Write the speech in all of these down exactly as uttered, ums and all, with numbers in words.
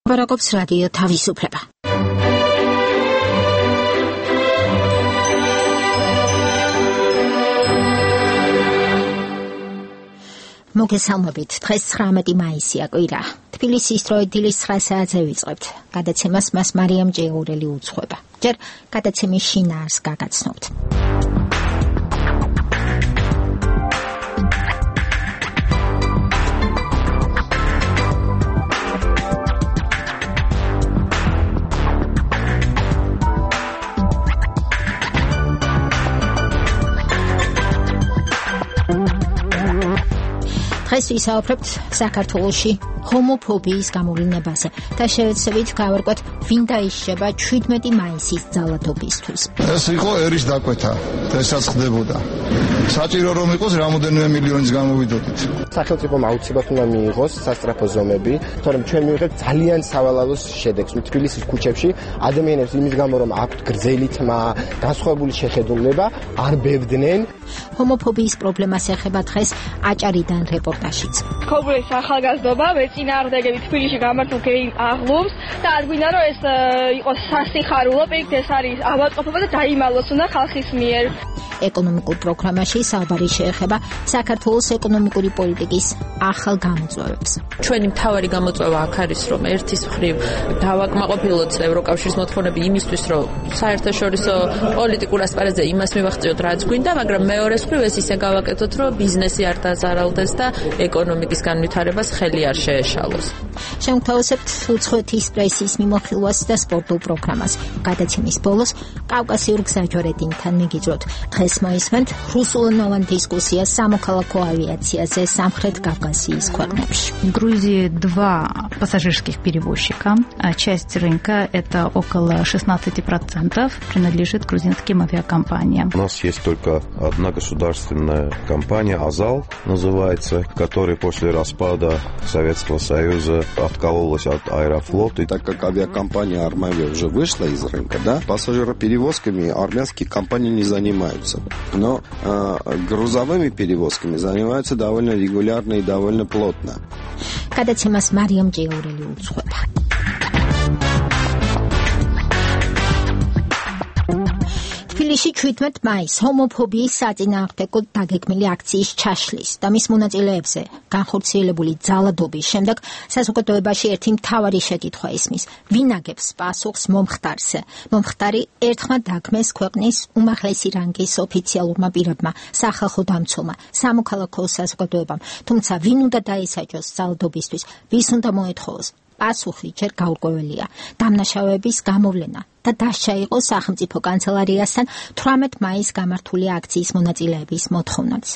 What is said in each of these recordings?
Baragobs Radio თავისუფლება. მოგესალმებით, დღეს ცხრამეტი მაისია კვირა. თბილისის დრო დილის ცხრა საათზე ვიწყებთ. გადაცემას მას მარიამ ჭეურელი უძღვება. ჯერ გადაცემის შინაარს გაგაცნობთ. დღეს ვისაუბრებთ საქართველოში ჰომოფობიის გამოვლინებაზე და შევეცდებით გავარკვევთ, ვინ დაიშება შვიდმეტი მაისის ძალადობისთვის. ეს იყო ერის დაკვეთა, ესაც ხდებოდა. საჭირო რომ იყოს რამოდენიმე მილიონის გამოვიდოდით. სახელმწიფომ აუცილებლად უნდა მიიღოს სასწრაფო ზომები, თორემ ჩვენ მივიღებთ ძალიან სავალალოს შედეგს. თბილისის ქუჩებში ადამიანებს იმის გამო რომ აქვთ გრძელი თმა, განსხვავებული შეხედულება, არ ბებდნენ. ჰომოფობიის პრობლემას ეხება დღეს აჭარიდან რეპორტაჟიც. ქობულის ახალგაზრდობა მეწინააღმდეგები თბილისში გამართულ გეი აღლუმს და არ გვინდა რომ ეს იყოს სასიხარულო, პირიქით ეს არის ავადმყოფობა და დაიმალოს უნდა ხალხის მიერ. ეკონომიკურ პროგრამაში საუბარი შეეხება საქართველოს ეკონომიკური პოლიტიკის ახალ გამოწვევებს. ჩვენი მთავარი გამოწვევა აქ არის, რომ ერთის მხრივ დავაკმაყოფილოთ ევროკავშირის მოთხოვნები იმისთვის, რომ საერთაშორისო პოლიტიკურ ასპარეზზე იმას მივახციოთ, რაც გვინდა, მაგრამ მეორეს მხრივ ეს ისე გავაკეთოთ, რომ ბიზნესი არ დაზარალდეს და ეკონომიკის განვითარებას ხელი არ შეეშალოს. შევთავაზებთ უცხოეთის პრესის მიმოხილვას და სპორტულ პროგრამას. გადაცემის ბოლოს კავკასიურ გზაჯვარედინთან მიგიძვროთ. დღეს მოისმენთ რუსულენოვან დискуссиას самоколоко авиациაზე სამხრეთ кавказიის ქვეყნებში. В Грузии два пассажирских перевозчика. Часть рынка, это около шестнадцать процентов, принадлежит грузинским авиакомпаниям. У нас есть только одна государственная компания «Азал» называется, которая после распада Советского Союза откололась от Аэрофлота. И так как авиакомпания «Армавия» уже вышла из рынка, да, пассажироперевозками армянские компании не занимаются. Но э, грузовыми перевозками занимаются довольно регулярно и довольно плотно. Გადაცემას მარიამ ჭეურელი უძღვება. თბილისში შვიდმეტი მაისს ჰომოფობიის საწინააღმდეგო დაგეგმილი აქციის ჩაშლის და მის მონაწილეებზე განხორციელებული ძალადობის შემდეგ საზოგადოებაში ერთი მთავარი შეკითხვა ისმის: ვინ აგებს პასუხს მომხდარზე? მომხდარი ერთხმად დაგმეს ქვეყნის უმაღლესი რანგის ოფიციალურმა პირებმა, სახალხო დამცველმა, სამოქალაქო საზოგადოებამ. თუმცა ვინ უნდა დაისაჯოს ძალადობისთვის? ვის უნდა მოეთხოვოს? პასუხი ჯერ გაურკვეველია. დამნაშავეების გამოვლენა და დასჯა იყო სახელმწიფო კანცელარიასთან თვრამეტი მაისს გამართული აქციის მონაწილეების მოთხოვნაც.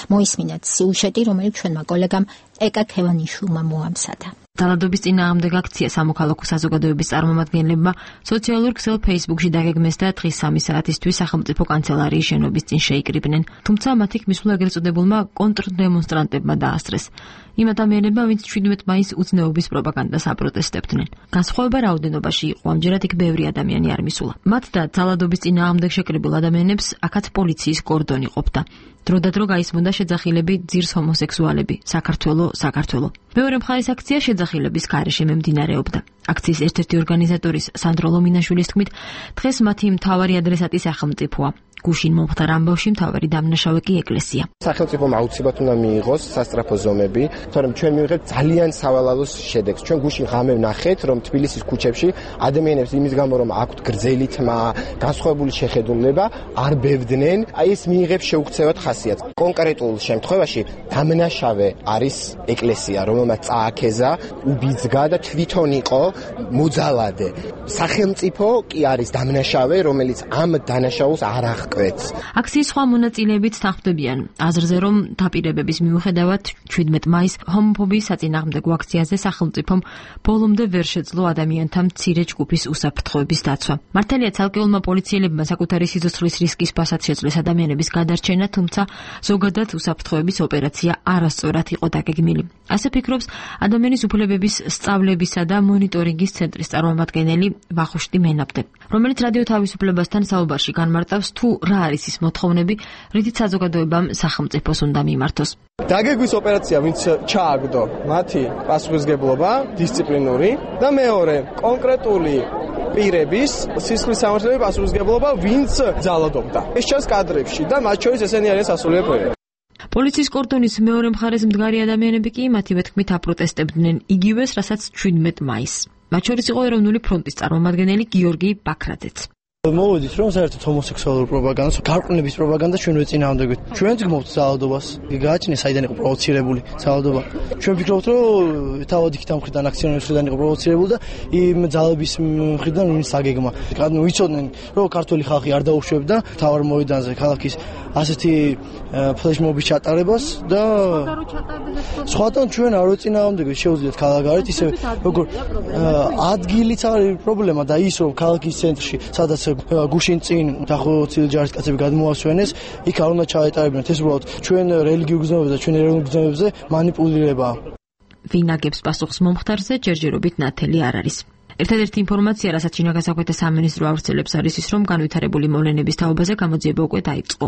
მოისმინეთ სიუჟეტი, რომელიც ჩვენმა კოლეგამ ეკა ქევანიშვილმა მოამზადა. ძალადობის წინააღმდეგ აქცია სამოქალაქო საზოგადოების წარმომადგენლებმა სოციალურ ქსელ Facebook-ში დაგეგმეს და დღის სამი საათისთვის სახელმწიფო კანცელარიის შენობის წინ შეიკრიბნენ. თუმცა მათი ქმისვლა ეგრეთ წოდებულმა კონტრდემონსტრანტებმა დაასწრეს. იმ ადამიანებმა, ვინც შვიდმეტი მაისს უცნაობის პროპაგანდას აპროტესტებდნენ. განსხვავება რაოდენობაში იყო, ამჯერად იქ ბევრი ადამიანი არ მისულა. მათ და ძალადობის წინააღმდეგ შეკრებილ ადამიანებს აქაც პოლიციის კორდონი ყოფდა. დროდადრო გაისმოდა შეძახილები ძირს ჰომოსექსუალები, საქართველო, საქართველო. მეორე მხარის აქცია შეძახილების გარეშე მიმდინარეობდა. აქციის ერთ-ერთი ორგანიზატორის სანდრო ლომინაშვილის თქმით, დღეს მათი მთავარი ადრესატი სახელმწიფოა. გუშინ მომხდარ ამბავში მთავარი დამნაშავე კი ეკლესია. სახელმწიფომ აუცილებლად უნდა მიიღოს სასწრაფო ზომები, თორემ ჩვენ მივიღებთ ძალიან სავალალოს შედეგს. ჩვენ გუშინ ღამე ვნახეთ, რომ თბილისის ქუჩებში ადამიანებს იმის გამო რომ აქვთ გრძელი თმა, განსხვავებული შეხედულება, არ ბებდნენ, აი ეს მიიღებს შეუქცევად ხასიათს. კონკრეტულ შემთხვევაში დამნაშავე არის ეკლესია, რომელმაც წააქეზა, უბიძგა და თვითონ იყო მოძალადე. სახელმწიფო კი არის დამნაშავე, რომელიც ამ დანაშაულს არ აღ აქციის სხვა მონაწილეებიც თანხმდებიან აზრზე, რომ დაპირებების მიუხედავად შვიდმეტი მაისს ჰომოფობიის საწინააღმდეგო აქციაზე სახელმწიფომ ბოლომდე ვერ შეძლო ადამიანთა მცირე ჯგუფის უსაფრთხოების დაცვა. მართალია ცალკეულმა პოლიციელებმა საკუთარი სიცოცხლის რისკის ფასად შეძლეს ადამიანების გადარჩენა, თუმცა ზოგადად უსაფრთხოების ოპერაცია არასწორად იყო დაგეგმილი. ასე ფიქრობს ადამიანის უფლებების სწავლებისა და მონიტორინგის ცენტრის წარმომადგენელი ვახუშტი მენაბდე, რომელიც რადიო თავისუფლებასთან საუბარში განმარტავს, თუ რა არის ის მოთხოვნები, რითიც საზოგადოებამ სახელმწიფოს უნდა მიმართოს. დაგეგმვის ოპერაცია, ვინც ჩააგდო, მათი პასუხისგებლობა, დისციპლინური და მეორე, კონკრეტული პირების სისხლის სამართლებრივი პასუხისგებლობა, ვინც ძალადობდა. ეს ჩანს კადრებში და მათ შორის ესენი არიან სასულიერო. პოლიციის კორდონის მეორე მხარეს მდგარი ადამიანები კი მათივე თქმით აპროტესტებდნენ იგივეს, რასაც შვიდმეტ მაისს. მათ შორის იყო ეროვნული ფრონტის წარმომადგენელი გიორგი ბაქრაძეც. მოვედით რომ საერთოდ ჰომოსექსუალურ პროპაგანდას, გარყვნების პროპაგანდას ჩვენ ვეწინააღმდეგეთ. ჩვენ ვგმობთ ძალადობას. გააჩნია საიდან იყო პროვოცირებული ძალადობა. ჩვენ ვფიქრობთ რომ თავად იქით ამ მხრიდან აქციონერების მხრიდან იყო პროვოცირებული და იმ ძალების მხრიდან ვინც აგეგმა. ანუ ვიცოდნენ რომ ქართული ხალხი არ დაუშვებდა თავარ მოედანზე ქალაქის ასეთი ფლეშმობის ჩატარებას და სხვათან ჩვენ არ ვეწინააღმდეგეთ. შეუძლიათ ქალაქგარეთ ისე როგორ ადგილიც არის პრობლემა და ის რომ ქალაქის ცენტრში სადაც გუშინ წინ დახოცილი ჯარისკაცები გადმოასვენეს, იქ არ უნდა ჩაეტარებინათ. ეს უბრალოდ ჩვენ რელიგიურ გზნობებზე და ჩვენ ეროვნულ გზნობებზე манипулირებაა. ვინ აგებს პასუხს მომხდარზე, ჯერჯერობით ნათელი არ არის. ერთადერთი ინფორმაცია, რასაც შინაგანსაქმეთა სამინისტრო ავრცელებს, არის ის, რომ განვითარებული მოვლენების თაობაზე გამოძიება უკვე დაიწყო.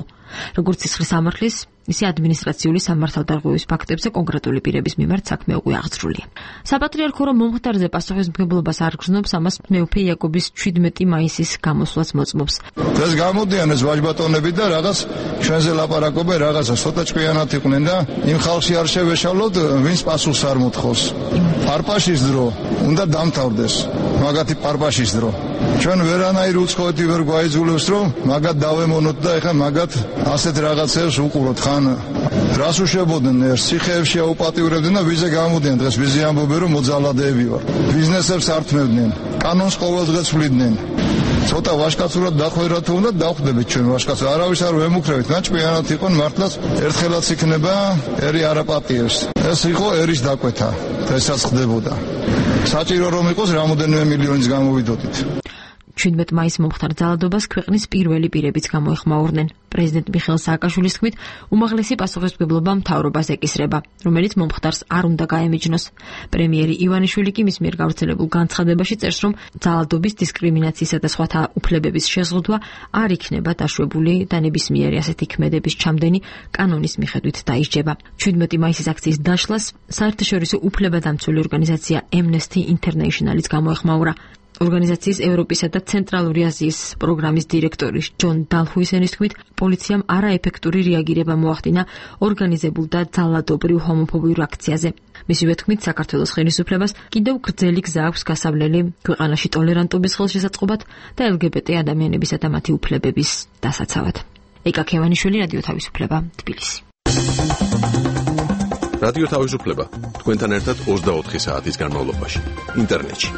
როგორც სისხლის სამართლის, ისე ადმინისტრაციული სამართალდარღვევის ფაქტებზე კონკრეტული პირების მიმართ საქმე უკვე აღძრულია. საპატრიარქო რომ მომხდარზე პასუხისმგებლობას არ გრძნობს, ამას მეუფე იაკობის შვიდმეტი მაისის გამოსვლაც მოწმობს. ეს გამოდიან ეს ვაჟბატონები და რაღაც ჩვენზე ლაპარაკობენ, რაღაცა ცოტა ჭკვიანად იყვნენ და იმ ხალხში არ შევეშალოთ, ვინც პასუხს არ მოთხოვს. პარპაშის დრო უნდა დამთავრდეს. მაგათი პარპაშის დრო. ჩვენ ვერანაირ უცხოეთი ვერ გვაიძულებს, რომ მაგათ დავემონოთ და ეხლა მაგათ ასეთ რაღაცებს უყუროთ. ხან რას უშვებოდნენ ერთ ციხეებში აუპატიურებდნენ და ვიზე გამოდიან დღეს ვიზე ამბობენ რომ მოძალადეები ვარ. ბიზნესებს ართმევდნენ, კანონს ყოველდღე ცვლიდნენ. ცოტა ვაჟკაცურად დახვერა თუ უნდა დავხვდებით ჩვენ ვაჟკაცს. არავის არ ვემუქრებით, ნაჭკვიანად იყვნენ მართლაც ერთხელაც იქნება ერი არაპატიებს. ეს იყო ერის დაკვეთა, ესაც ხდებოდა. საჭირო რომ იყოს რამოდენიმე მილიონის გამოვიდოდით. შვიდმეტ მაისს მომხდარ ძალადობას ქვეყნის პირველი პირებიც გამოეხმაურნენ. პრეზიდენტ მიხეილ სააკაშვილის თქმით, უმაღლესი პასუხისმგებლობა მთავრობას ეკისრება, რომელიც მომხდარს არ უნდა გაემიჯნოს. პრემიერი ივანიშვილი კი მის მიერ გავრცელებულ განცხადებაში წერს, რომ ძალადობის, დისკრიმინაციისა და სხვათა უფლებების შეზღუდვა არ იქნება დაშვებული და ნებისმიერი ასეთი ქმედების ჩამდენი კანონის მიხედვით დაისჯება. შვიდმეტი მაისის აქციის დაშლას საერთაშორისო უფლებადამცველი ორგანიზაცია Amnesty International-იც გამოეხმაურა. ორგანიზაციის ევროპისა და ცენტრალური აზიის პროგრამის დირექტორი ჯონ დალჰუისენის თქმით, პოლიციამ არაეფექტური რეაგირება მოახდინა ორგანიზებულ და ძალადობრივ ჰომოფობიურ აქციაზე. მისივე თქმით, საქართველოს ხელისუფლებას კიდევ გრძელი გზა აქვს გასავლელი ქვეყანაში ტოლერანტობის ხელშესაწყობად და ელ გი ბი ტი ადამიანებისა და მათი უფლებების დასაცავად. ეკა ქევანიშვილი, რადიო თავისუფლება, თბილისი. რადიო თავისუფლება თქვენთან ერთად ოცდაოთხი საათის განმავლობაში ინტერნეტში.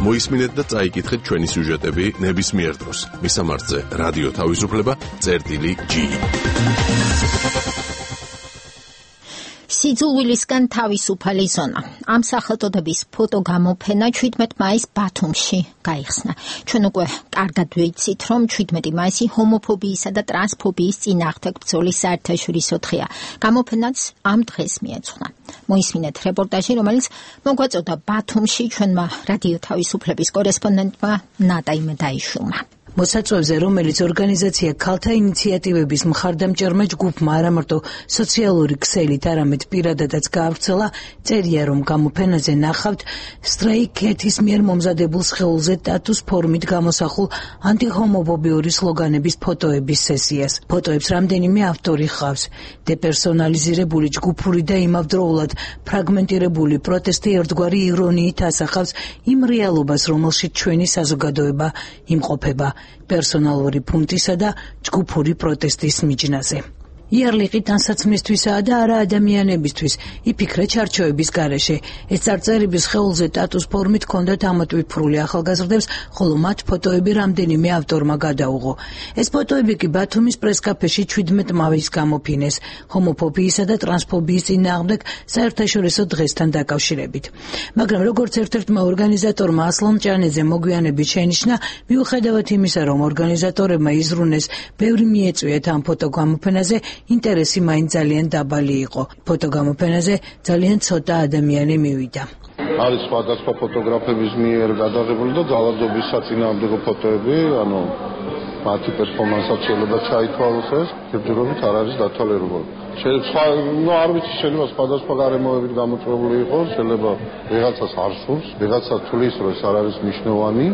მოისმინეთ და წაიკითხეთ ჩვენი სიუჟეტები ნებისმიერ დროს. მისამართზე რადიო თავისუფლება წერტილი ჯი. სიძულვილისგან თავისუფალი ზონა. ამ სახელწოდების ფოტოგამოფენა შვიდმეტ მაისს ბათუმში გაიხსნა. ჩვენ უკვე კარგად ვიცით, რომ შვიდმეტი მაისი ჰომოფობიისა და ტრანსფობიის წინააღმდეგ ბრძოლის საერთაშორისო დღეა. გამოფენაც ამ დღეს მიეძღვნა. მოისმინეთ რეპორტაჟი, რომელიც მოგვაწოდა ბათუმში ჩვენმა რადიო თავისუფლების კორესპონდენტმა ნატა იმედაიშვილმა. მოსაწვევზე, რომელიც ორგანიზაცია ქალთა ინიციატივების მხარდამჭერმა ჯგუფმა არამარტო სოციალური ქსელით, არამედ პირადადაც გაავრცელა, წერია, რომ გამოფენაზე ნახავთ სტრეი-კეთის მიერ მომზადებულ სხეულზე ტატუს ფორმით გამოსახულ ანტიჰომოფობიური სლოგანების ფოტოების სესიას. ფოტოებს რამდენიმე ავტორი ხავს. დეპერსონალიზირებული ჯგუფური და იმავდროულად ფრაგმენტირებული პროტესტი ერთგვარი ირონიით ასახავს იმ რეალობას, რომელშიც ჩვენი საზოგადოება იმყოფება. პერსონალური ფუნტისა და ჯგუფური პროტესტის მიჯნაზე. იარლიყი თანსაცმლისთვისაა და არა ადამიანებისთვის, იფიქრა ჩარჩოების გარეშე. ეს წარწერების სხეულზე ტატუს ფორმით ჰქონდათ ამოტვიფრული ახალგაზრდებს, ხოლო მათ ფოტოები რამდენიმე ავტორმა გადაუღო. ეს ფოტოები კი ბათუმის პრესკაფეში შვიდმეტ მაისს გამოფინეს, ჰომოფობიისა და ტრანსფობიის წინააღმდეგ საერთაშორისო დღესთან დაკავშირებით. მაგრამ როგორც ერთ-ერთმა ორგანიზატორმა ასლან ჭანეძე მოგვიანებით შენიშნა, მიუხედავად იმისა, რომ ორგანიზატორებმა იზრუნეს ბევრი მიეწვიათ ამ ფოტოგამოფენაზე, ინტერესი მაინც ძალიან დაბალი იყო. ფოტოგამოფენაზე ძალიან ცოტა ადამიანი მივიდა. არის სხვადასხვა ფოტოგრაფების მიერ გადაღებული და ძალადობის საწინააღმდეგო ფოტოები, ანუ მათი პერფორმანსად შეიძლება ჩაითვალოს ეს, ჯერჯერობით არ არის დათვალიერებული. შეიძლება ნუ არ ვიცი, შეიძლება სხვადასხვა გარემოებით გამოწვეული იყოს, შეიძლება ვიღაცას არ სურს, ვიღაცა თulis რომ ეს არ არის მნიშვნელოვანი.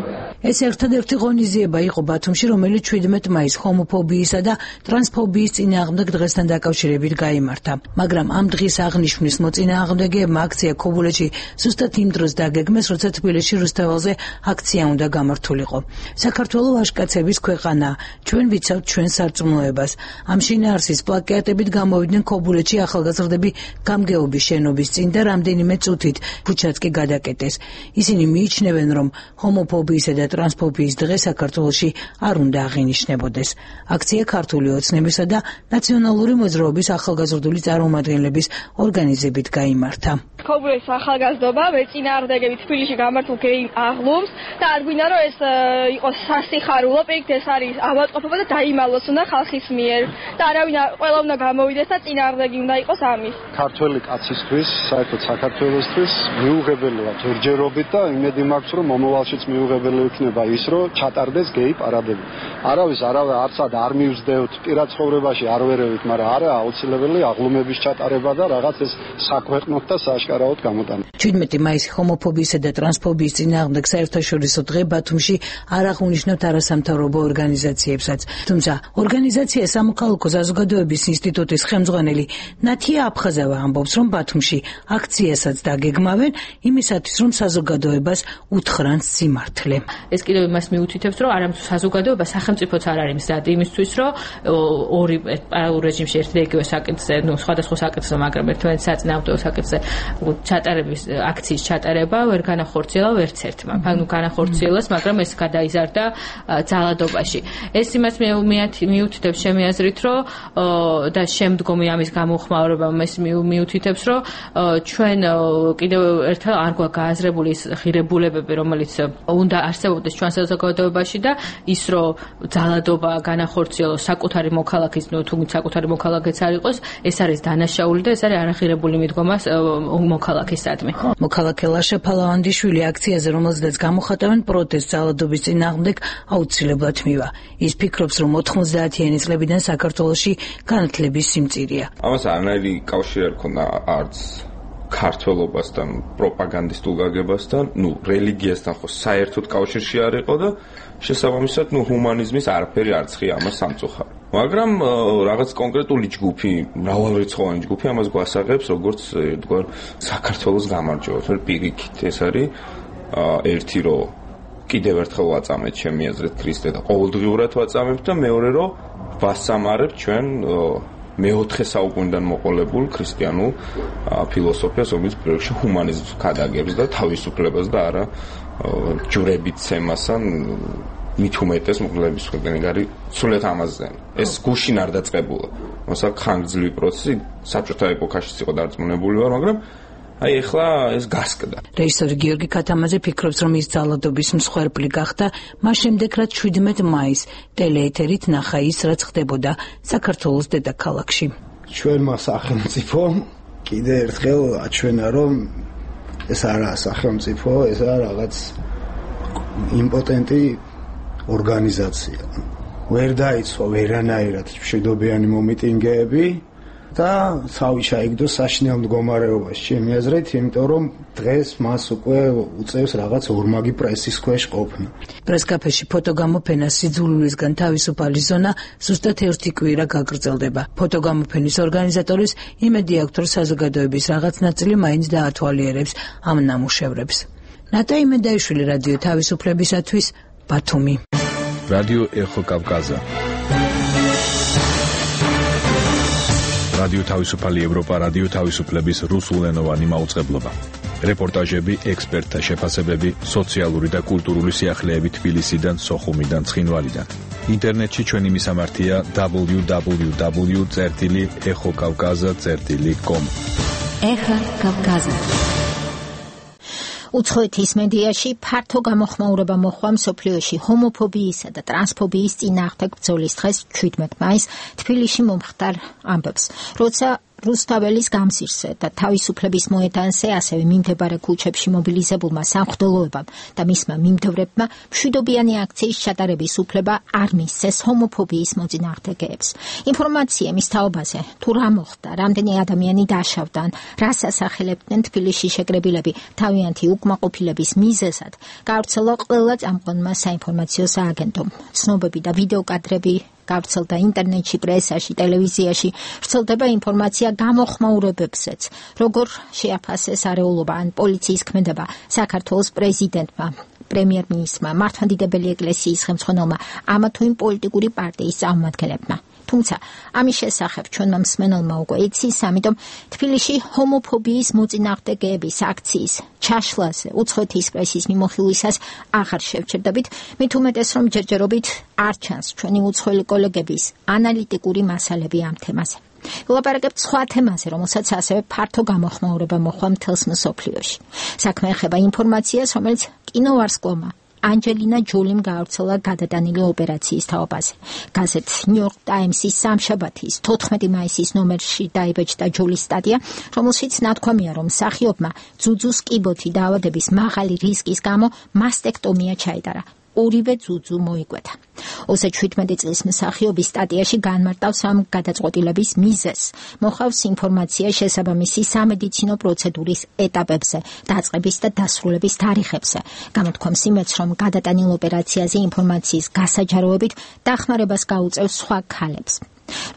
ეს ერთადერთი ღონისძიება იყო ბათუმში, რომელიც შვიდმეტ მაისს ჰომოფობიისა და ტრანსფობიის წინააღმდეგ დღესთან დაკავშირებით გაიმართა. მაგრამ ამ დღის აღნიშვნის მოწინააღმდეგეებმა აქცია ქობულეთში ზუსტად იმ დროს დაგეგმეს, როცა თბილისში რუსთაველზე აქცია უნდა გამართულიყო. საქართველო ვაჟკაცების ქვეყანაა, ჩვენ ვიცავთ ჩვენ სარწმუნოებას. ამ შინაარსის პლაკატებით გამოვიდნენ ქობულეთში ახალგაზრდები გამგეობის შენობის წინ და რამდენიმე წუთით ქუჩაც კი გადაკეტეს. ისინი მიიჩნევენ, რომ ჰომოფობიისა და ტრანსფობიის დღე საქართველოში არ უნდა აღინიშნებოდეს. აქცია ქართული ოცნებისა და ნაციონალური მოძრაობის ახალგაზრდული წარმომადგენლების ორგანიზებით გაიმართა. ქობულეთის ახალგაზრდობა მეწინააღმდეგებით თბილისში გამართულ გეიმ აღლუმს და არ გვინდა რომ ეს იყოს სასიხარულო, პირიქით ეს არის ავადმყოფობა და დაიმალოს უნდა ხალხის მიერ და არავინ ყველა უნდა გამოვიდეს და წინააღმდეგი უნდა იყოს ამის. ქართველი კაცისთვის, საერთოდ საქართველოსთვის მიუღებელია ჯერჯერობით და იმედი მაქვს რომ მომავალშიც მიუღებელი იქნება ის რომ ჩატარდეს გეი პარადები. არავის არავე არცად არ მივსდევთ პირად ცხოვრებაში არ ვერევით, მაგრამ არა აუცილებელი აღლუმების ჩატარება და რაღაც ეს საქვეყნოთ და სააშკარაოდ გამოტანა. შვიდმეტი მაისი ჰომოფობიისა და ტრანსფობიის წინააღმდეგ საერთაშორისო დღე ბათუმში არ აღუნიშნავთ არასამთავრობო ორგანიზაციებსაც. თუმცა ორგანიზაცია სამოქალაქო საზოგადოების ინსტიტუტის ხელმძღვანელი ნათია აფხაზავა ამბობს, რომ ბათუმში აქციასაც დაგეგმავენ იმისათვის, რომ საზოგადოებას უთხრან სიმართლე. ეს კიდევ იმას მიუთითებს, რომ არამედ საზოგადოება სახელმწიფოც არ არის მზად იმისთვის, რომ ორი პარალელურ რეჟიმში ერთ და იგივე საკითხზე, ნუ სხვადასხვა საკითხზე, მაგრამ ერთმანეთს საწინააღმდეგო საკითხზე ჩატარების აქციის ჩატარება ვერ განახორციელა ვერც ერთმა. ანუ განახორციელას, მაგრამ ეს გადაიზარდა ძალადობაში. ეს იმას მიუთითებს ჩემი აზრით, რომ და შემდგომი ამის გამოხმაურება ეს მიუთითებს, რომ ჩვენ კიდევ ერთხელ არ გვაქვს გააზრებული ის ღირებულებები, რომელიც უნდა არსებობდეს ჩვენ საზოგადოებაში და ის რომ ძალადობა განახორციელოს საკუთარი მოქალაქის, ნუ თუნდაც საკუთარი მოქალაქეც არ იყოს, ეს არის დანაშაული და ეს არის არაღირებული მიდგომა მოქალაქისადმი. მოქალაქე ლაშა ფალავანდიშვილი აქციაზე, რომელზედაც გამოხატავენ პროტესტს ძალადობის წინააღმდეგ, აუცილებლად მივა. ის ფიქრობს, რომ ოთხმოცდაათიანი წლებიდან საქართველოში განათლების სიმწირეა. ამას არანაირი კავშირი არ ქონდა არც ქართველობასთან, პროპაგანდისტულ გაგებასთან, ნუ რელიგიასთან ხო საერთოდ კავშირში არ იყო და შესაბამისად, ნუ ჰუმანიზმის არაფერი არცხი ამას სამწუხარ. მაგრამ რაღაც კონკრეტული ჯგუფი, მრავალრიცხოვანი ჯგუფი ამას გვასაღებს, როგორც თქვენ საქართველოს გამარჯვება. თორე პირიქით ეს არის ერთი რომ კიდევ ერთხელ ვაწამეთ ჩემი აზრით ქრისტე და ყოველდღიურად ვაწამებთ და მეორე რომ ვასამარებთ ჩვენ მეოთხე საუკუნიდან მოყოლებულ ქრისტიანულ ფილოსოფიას, რომელიც პირველში ჰუმანიზმს ქადაგებს და თავისუფლებას და არა ჯვრებით ცემას ან მით უმეტეს მკვლელობის ქვეყნები არის სულეთ ამაზე. ეს გუშინ არ დაწყებულა. მოსა ხანგრძლივი პროცესი საბჭოთა ეპოქაშიც იყო დარწმუნებული ვარ, მაგრამ აი ეხლა ეს გასკდა. რეჟისორი გიორგი ქათამაძე ფიქრობს, რომ ის ძალადობის მსხვერპლი გახდა მას შემდეგ, რაც შვიდმეტ მაისს ტელეეთერით ნახა ის, რაც ხდებოდა საქართველოს დედაქალაქში. ჩვენმა სახელმწიფომ კიდე ერთხელ აჩვენა, რომ ეს არაა სახელმწიფო, ეს არის რაღაც იმპოტენტი ორგანიზაცია. ვერ დაიცვა ვერანაირად მშვიდობიანი მომიტინგეები და თავი ჩაიგდო საშინელ მდგომარეობაში. ჩემი აზრით, იმიტომ რომ დღეს მას უკვე უწევს რაღაც ორმაგი პრესის ქვეშ ყოფნა. პრესკაფეში ფოტოგამოფენას სიძულვილისგან თავისუფალი ზონა ზუსტად ერთი კვირა გაგრძელდება. ფოტოგამოფენის ორგანიზატორის იმედი აქვს, რომ საზოგადოების რაღაც ნაწილი მაინც დაათვალიერებს ამ ნამუშევრებს. ნატა იმედაიშვილი, რადიო თავისუფლებისათვის, ბათუმი. რადიო ეხო კავკაზა. რადიო თავისუფალი ევროპა, რადიო თავისუფლების რუსულენოვანი მაუწყებლობა. რეპორტაჟები, ექსპერტთა შეფასებები, სოციალური და კულტურული სიახლეები თბილისიდან, სოხუმიდან, ცხინვალიდან. ინტერნეტში ჩვენი მისამართია დაბლიუ დაბლიუ დაბლიუ წერტილი ეხო კავკაზა წერტილი კომ. ეხა კავკაზა. უცხოეთის მედიაში ფართო გამოხმაურება მოჰყვა მსოფლიოში ჰომოფობიისა და ტრანსფობიის წინააღმდეგ ბრძოლის დღეს შვიდმეტ მაისს თბილისში მომხდარ ამბებს. როცა რუსთაველის გამზირზე და თავისუფლების მოედანზე, ასევე მიმდებარე ქუჩებში მობილიზებულმა სამღვდელოებამ და მისმა მიმდევრებმა მშვიდობიანი აქციის ჩატარების უფლება არ მისცეს ჰომოფობიის მოწინააღმდეგეებს. ინფორმაცია მის თაობაზე, თუ რა მოხდა, რამდენი ადამიანი დაშავდა, რას ასახელებდნენ თბილისში შეკრებილები თავიანთი უკმაყოფილების მიზეზად, გავრცელა ყველა წამყვანმა საინფორმაციო სააგენტომ. ცნობები და ვიდეო კადრები გავრცელდა ინტერნეტში, პრესაში, ტელევიზიაში, ვრცელდება ინფორმაცია გამოხმაურებებზეც, როგორ შეაფასეს არეულობა ან პოლიციის ქმედება საქართველოს პრეზიდენტმა, პრემიერ-მინისტრმა, მართლმადიდებელი ეკლესიის ხელმძღვანელმა, ამა თუ იმ პოლიტიკური პარტიის წარმომადგენლებმა. თუმცა ამის შესახებ ჩვენმა მსმენელმა უკვე იცის, ამიტომ თბილისში ჰომოფობიის მოწინააღმდეგეების აქციის ჩაშლაზე უცხოეთის პრესის მიმოხილვისას აღარ შევჩერდებით, მით უმეტეს რომ ჯერჯერობით არ ჩანს ჩვენი უცხოელი კოლეგების ანალიტიკური მასალები ამ თემაზე. ვილაპარაკებთ სხვა თემაზე, რომელსაც ასევე ფართო გამოხმაურება მოჰყვა მთელს მსოფლიოში. საქმე ეხება ინფორმაციას, რომელიც კინოვარსკვლავმა ანჯელინა ჯოლიმ გაავრცელა გადატანილი ოპერაციის თაობაზე. გაზეთ New York Times-ის სამშაბათის თოთხმეტი მაისის ნომერში დაიბეჭდა ჯოლის სტატია, რომელშიც ნათქვამია, რომ მსახიობმა ძუძუს კიბოთი დაავადების მაღალი რისკის გამო მასტექტომია ჩაიტარა. ორივე ძუძუ მოიკვეთა. ოცდაშვიდმეტი წლის მსახიობის სტატიაში განმარტავს ამ გადაწყვეტილების მიზეზს. მოხავს ინფორმაცია შესაბამისი სამედიცინო პროცედურის ეტაპებზე, დაწყების და დასრულების თარიღებზე. გამოთქვამს იმედს, რომ გადატანილ ოპერაციაზე ინფორმაციის გასაჯაროებით დახმარებას გაუწევს სხვა ქალებს.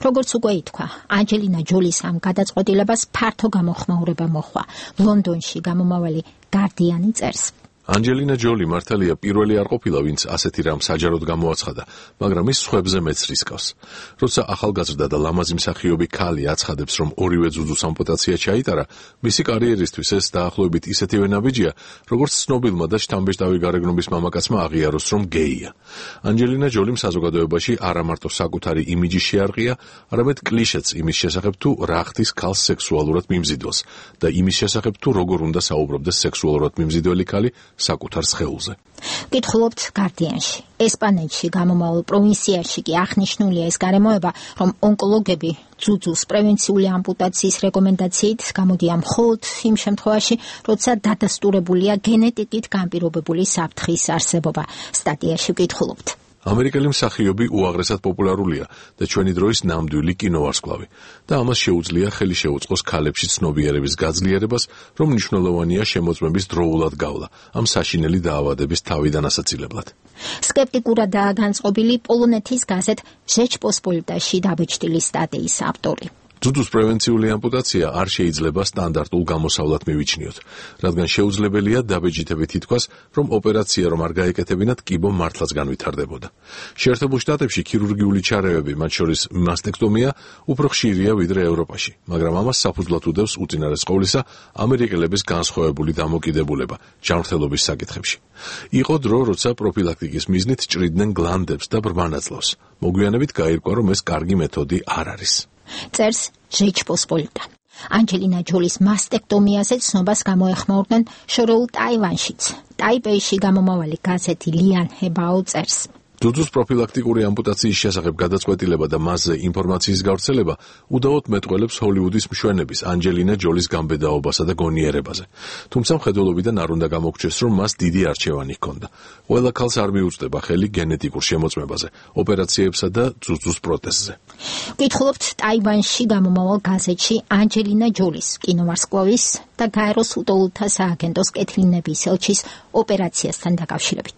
როგორც უკვე ითქვა, ანჯელინა ჯოლის ამ გადაწყვეტილებას ფართო გამოხმაურება მოჰყვა. ლონდონში გამომავალი გარდიანი წერს. ანჯელინა ჯოლი მართალია პირველი არ ყოფილა, ვინც ასეთი რამ საჯაროდ გამოაცხადა, მაგრამ ის სხვებზე მეც რისკავს. როცა ახალგაზრდა და ლამაზი მსახიობი ქალი აცხადებს, რომ ორივე ძუძუს ამპუტაცია ჩაიტარა, მისი კარიერისთვის ეს დაახლოებით ისეთივე ნაბიჯია, როგორც ცნობილმა და შთამბეჭდავი გარეგნობის მამაკაცმა აღიაროს, რომ გეია. ანჯელინა ჯოლიმ საზოგადოებაში არა მარტო საკუთარი იმიჯი შეარყია, არამედ კლიშეც იმის შესახებ, თუ რა ხდის ქალს სექსუალურად მიმზიდველს და იმის შესახებ, თუ როგორ უნდა საუბრობდეს სექსუალურად მიმზიდველი ქალი საკუთარ სხეულზე. გითხულობთ გარდიანში. ესპანეთში გამომავალ პროვინციაში კი აღნიშნულია ეს გარემოება, რომ ონკოლოგები ძუძუს პრევენციული ამპუტაციის რეკომენდაციით გამოდიან მხოლოდ იმ შემთხვევაში, როცა დადასტურებულია გენეტიკით განპირობებული საფრთხის არსებობა. სტატიაში გითხულობთ. ამერიკელი მსახიობი უაღრესად პოპულარულია და ჩვენი დროის ნამდვილი კინოვარსკვლავი და ამას შეუძლია ხელი შეუწყოს ქალებში ცნობიერების გაძლიერებას, რომ მნიშვნელოვანია შემოწმების დროულად გავლა ამ საშინელი დაავადების თავიდან ასაცილებლად. სკეპტიკურადაა განწყობილი პოლონეთის გაზეთ ჟეჩპოსპოლიტაში დაბეჭდილი სტატიის ავტორი. ძუძუს პრევენციული ამპუტაცია არ შეიძლება სტანდარტულ გამოსავლად მივიჩნიოთ, რადგან შეუძლებელია დაბეჭდებით ითქვას, რომ ოპერაცია რომ არ გაეკეთებინათ, კიბო მართლაც განვითარდებოდა. შეერთებულ შტატებში ქირურგიული ჩარევები, მათ შორის მასტექტომია, უფრო ხშირია ვიდრე ევროპაში, მაგრამ ამას საფუძვლად უდევს უწინარეს ყოვლისა ამერიკელების განსხვავებული დამოკიდებულება ჯანმრთელობის საკითხებში. იყო დრო, როცა პროფილაქტიკის მიზნით ჭრიდნენ გლანდებს და ბრმანაწლავს. მოგვიანებით გაირკვა, რომ ეს კარგი მეთოდი არ არის. წერს ჟეჩპოსპოლიტა. ანჯელინა ჯოლის მასტექტომიაზე ცნობას გამოეხმაურდნენ შორეულ ტაივანშიც. ტაიპეიში გამომავალი გაზეთი ლიან ჰებაო წერს. ძუძუს პროფილაქტიკური ამპუტაციის შესახებ გადაწყვეტილება და მასზე ინფორმაციის გავრცელება უდავოდ მეტყველებს ჰოლივუდის მშვენების ანჯელინა ჯოლის გამბედაობასა და გონიერებაზე. თუმცა მხედველობიდან არ უნდა გამოგჩეს, რომ მას დიდი არჩევანი ჰქონდა. ყველა ქალს არ მიუწვდება ხელი გენეტიკურ შემოწმებაზე, ოპერაციებსა და ძუძუს პროტეზზე. გითხულობთ ტაივანში გამომავალ გაზეთში ანჯელინა ჯოლის, კინოვარსკვლავის და გაეროს უტოულთა სააგენტოს კეთილინების ელჩის ოპერაციასთან დაკავშირებით.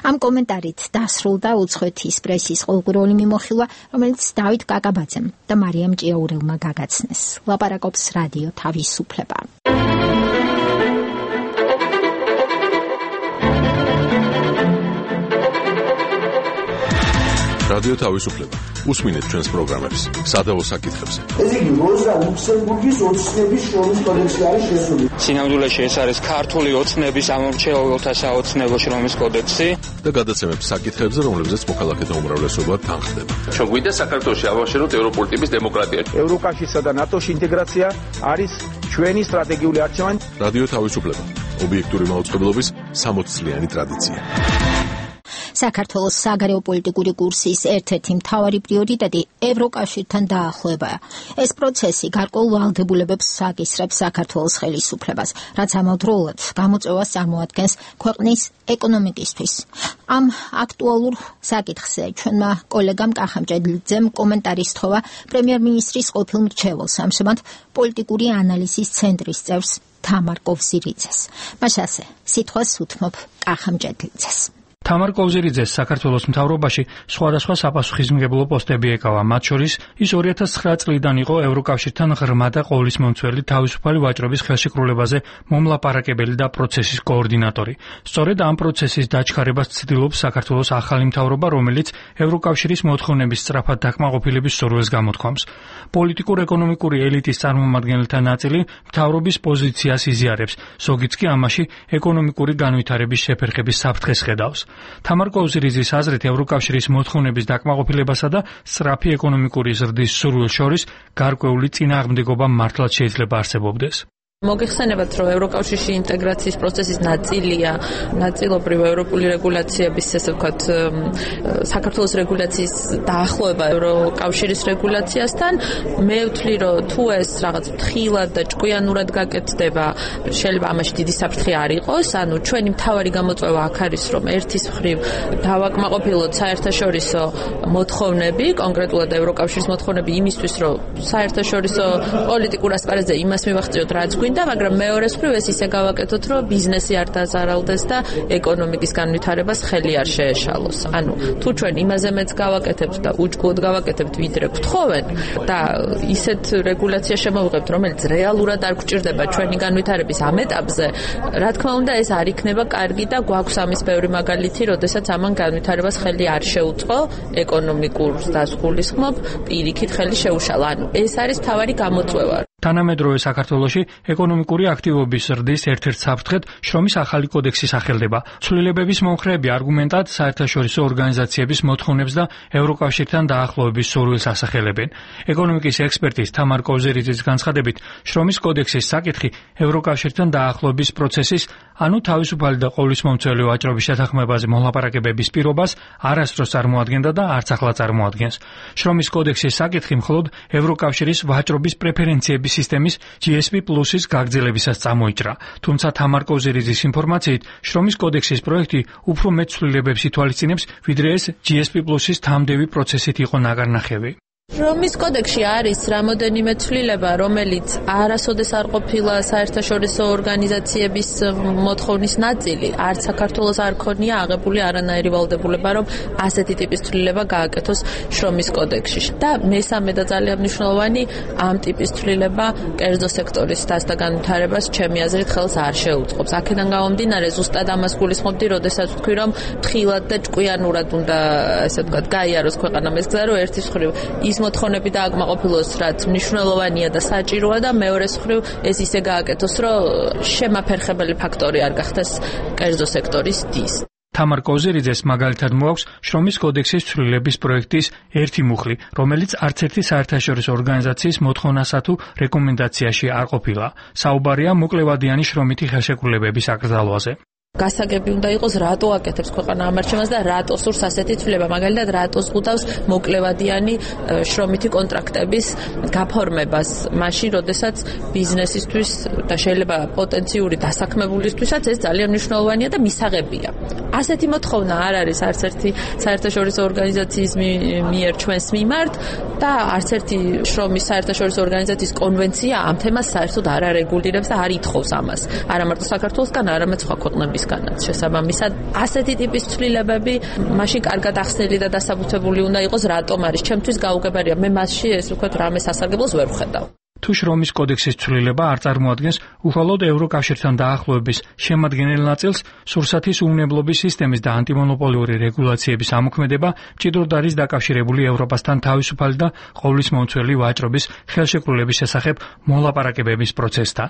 ამ კომენტარით დასრულდა უცხოეთის პრესის ყოველკვირეული მიმოხილვა, რომელიც დავით კაკაბაძემ და მარიამ ჭიაურელმა გაგაცნეს. ლაპარაკობს რადიო თავისუფლება. რადიო თავისუფლება. უსმინეთ ჩვენს პროგრამებს სადავო საკითხებზე. ეს იგი როზა ლუქსემბურგის ოცნების შრომის კოდექსი არის შესული. სინამდვილეში ეს არის ქართული ოცნების ამომრჩეველთა საოცნებო შრომის კოდექსი და გადაცემებს საკითხებზე, რომლებზეც მოქალაქეთა უმრავლესობა თანხდება. ჩვენ გვინდა საქართველოში ავაშენოთ ევროპული ტიპის დემოკრატია. ევროკავშირსა და ნატოში ინტეგრაცია არის ჩვენი სტრატეგიული არჩევანი. რადიო თავისუფლება. ობიექტური მაუწყებლობის სამოცწლიანი ტრადიცია. საქართველოს საგარეო პოლიტიკური კურსის ერთ-ერთი მთავარი პრიორიტეტი ევროკავშირთან დაახლოებაა. ეს პროცესი გარკვეულ ვალდებულებებს აკისრებს საქართველოს ხელისუფლებას, რაც ამავდროულად გამოწვევას წარმოადგენს ქვეყნის ეკონომიკისთვის. ამ აქტუალურ საკითხზე ჩვენმა კოლეგამ კახამჭედლიძემ კომენტარი სთხოვა პრემიერ-მინისტრის ყოფილ მრჩეველს, ამჟამად პოლიტიკური ანალიზის ცენტრის წევრს თამარ კოვზირიძეს. მას ასე სიტყვას უთმობ კახამჭედლიძეს. თამარ კოვზირიძეს საქართველოს მთავრობაში სხვადასხვა საპასუხისმგებლო პოსტები ეკავა, მათ შორის ის ორი ათას ცხრა წლიდან იყო ევროკავშირთან ღრმა და ყოვლისმომცველი თავისუფალი ვაჭრობის ხელშეკრულებაზე მომლაპარაკებელი და პროცესის კოორდინატორი. სწორედ ამ პროცესის დაჩქარებას ცდილობს საქართველოს ახალი მთავრობა, რომელიც ევროკავშირის მოთხოვნების სწრაფად დაკმაყოფილების სურვილს გამოთქვამს. პოლიტიკურ-ეკონომიკური ელიტის წარმომადგენელთა ნაწილი მთავრობის პოზიციას იზიარებს, ზოგიც კი ამაში ეკონომიკური განვითარების შეფერხების საფრთხეს ხედავს. თამარ კოვზირიძის აზრით ევროკავშირის მოთხოვნების დაკმაყოფილებასა და სწრაფი ეკონომიკური ზრდის სურვილს შორის გარკვეული წინააღმდეგობა მართლაც შეიძლება არსებობდეს. მოგეხსენებათ, რომ ევროკავშირში ინტეგრაციის პროცესის ნაწილია ნაწილობრივ ევროპული რეგულაციების, ესე ვთქვათ, საქართველოს რეგულაციის დაახლოება ევროკავშირის რეგულაციასთან. მე ვთვლი, რომ თუ ეს რაღაც ფრთხილად და ჭკვიანურად გაკეთდება, შეიძლება ამაში დიდი საფრთხე არ იყოს. ანუ ჩვენი მთავარი გამოწვევა აქ არის, რომ ერთის მხრივ დავაკმაყოფილოთ საერთაშორისო მოთხოვნები, კონკრეტულად ევროკავშირის მოთხოვნები იმისთვის, რომ საერთაშორისო პოლიტიკურ ასპარეზზე იმას მივაღწიოთ, რაც გვინდა, მაგრამ მეორეს მხრივ ეს ისე გავაკეთოთ, რომ ბიზნესი არ დაზარალდეს და ეკონომიკის განვითარებას ხელი არ შეეშალოს. ანუ თუ ჩვენ იმაზე მეც გავაკეთებთ და უჯგოდ გავაკეთებთ, ვიდრე გთხოვენ და ისეთ რეგულაცია შემოვიღებთ, რომელიც რეალურად არ გვჭირდება ჩვენი განვითარების ამ ეტაპზე, რა თქმა უნდა, ეს არ იქნება კარგი და გვაქვს ამის ბევრი მაგალითი, როდესაც ამან განვითარებას ხელი არ შეუწყო, ეკონომიკურ დასგულისხმობ, პირიქით ხელი შეუშალა. ანუ ეს არის მთავარი გამოწვევა. თანამედროვე საქართველოში ეკონომიკური აქტივობის ზრდის ერთ-ერთ საფრთხედ შრომის ახალი კოდექსი სახელდება. ცვლილებების მომხრეები არგუმენტად საერთაშორისო ორგანიზაციების მოთხოვნებს და ევროკავშირთან დაახლოების სურვილს ასახელებენ. ეკონომიკის ექსპერტის თამარ კოვზირიძის განცხადებით, შრომის კოდექსის საკითხი ევროკავშირთან დაახლოების პროცესის, ანუ თავისუფალი და ყოვლისმომცველი ვაჭრობის შეთანხმებაზე მოლაპარაკებების პირობას არასდროს წარმოადგენდა და არც ახლა წარმოადგენს. შრომის კოდექსის საკითხი მხოლოდ ევროკავშირის ვაჭრობის პრეფერენციების სისტემის ჯი ეს პი პლუსის გაგრძელებისას წამოიჭრა. თუმცა თამარ კოვზირიძის ინფორმაციით, შრომის კოდექსის პროექტი უფრო მეტ ცვლილებებს ითვალისწინებს, ვიდრე ეს ჯი ეს პი პლუსის თამდევი პროცესით იყო ნაგარნახევი. შრომის კოდექსში არის რამოდენიმე ცვლილება, რომელიც არასოდეს არ ყოფილა საერთაშორისო ორგანიზაციების მოთხოვნის ნაწილი. არც საქართველოს არ ქონია აღებული არანაირი ვალდებულება, რომ ასეთი ტიპის ცვლილება გააკეთოს შრომის კოდექსში. და მესამე და ძალიან მნიშვნელოვანი, ამ ტიპის ცვლილება კერძო სექტორის დასთა განვითარებას ჩემი აზრით ხელს არ შეუწყობს. აქედან გამომდინარე, ზუსტად ამას გულისხმობდი, როდესაც ვთქვი, რომ ფრთხილად და ჭკვიანურად უნდა, ესე ვთქვათ, გაიაროს ქვეყანამ ეს გზა, რომ ერთის მხრივ ის მოთხოვნები დააკმაყოფილოს, რაც მნიშვნელოვანია და საჭიროა და მეორეს მხრივ ეს ისე გააკეთოს, რომ შემაფერხებელი ფაქტორი არ გახდეს კერძო სექტორის დის. თამარ კოვზირიძეს მაგალითად მოაქვს შრომის კოდექსის ცვლილების პროექტის ერთი მუხლი, რომელიც არც ერთი საერთაშორისო ორგანიზაციის მოთხოვნასა თუ რეკომენდაციაში არ ყოფილა. საუბარია მოკლევადიანი შრომითი ხელშეკრულებების აკრძალვაზე. გასაგები უნდა იყოს, რატო აკეთებს ქვეყანა ამარჩევას და რატო სურს ასეთი ცვლილება. მაგალითად, რატო ზღუდავს მოკლევადიანი შრომითი კონტრაქტების გაფორმებას, მაშინ, როდესაც ბიზნესისთვის და შეიძლება პოტენციური დასაქმებულისთვისაც ეს ძალიან მნიშვნელოვანია და მისაღებია. ასეთი მოთხოვნა არ არის არც ერთი საერთაშორისო ორგანიზაციის მიერ ჩვენს მიმართ და არც ერთი შრომის საერთაშორისო ორგანიზაციის კონვენცია ამ თემას საერთოდ არ არეგულირებს და არ ითხოვს ამას. არა მარტო საქართველოსგან, არამედ სხვა ქვეყნებისგანაც. შესაბამისად, ასეთი ტიპის ცვლილებები მაშინ კარგად ახსნილი და დასაბუთებული უნდა იყოს, რატომ არის. ჩემთვის გაუგებარია, მე მასში ეს ვთქვათ, რამე სასარგებლოს ვერ ვხედავ. თუ შრომის კოდექსის ცვლილება არ წარმოადგენს უხალოდ ევროკავშირთან დაახლოების შემადგენელ ნაწილს, სურსათის უვნებლობის სისტემის და ანტიმონოპოლიური რეგულაციების ამოქმედება მჭიდროდ არის დაკავშირებული ევროპასთან თავისუფალი და ყოვლისმომცველი ვაჭრობის ხელშეკრულების შესახებ მოლაპარაკებების პროცესთან.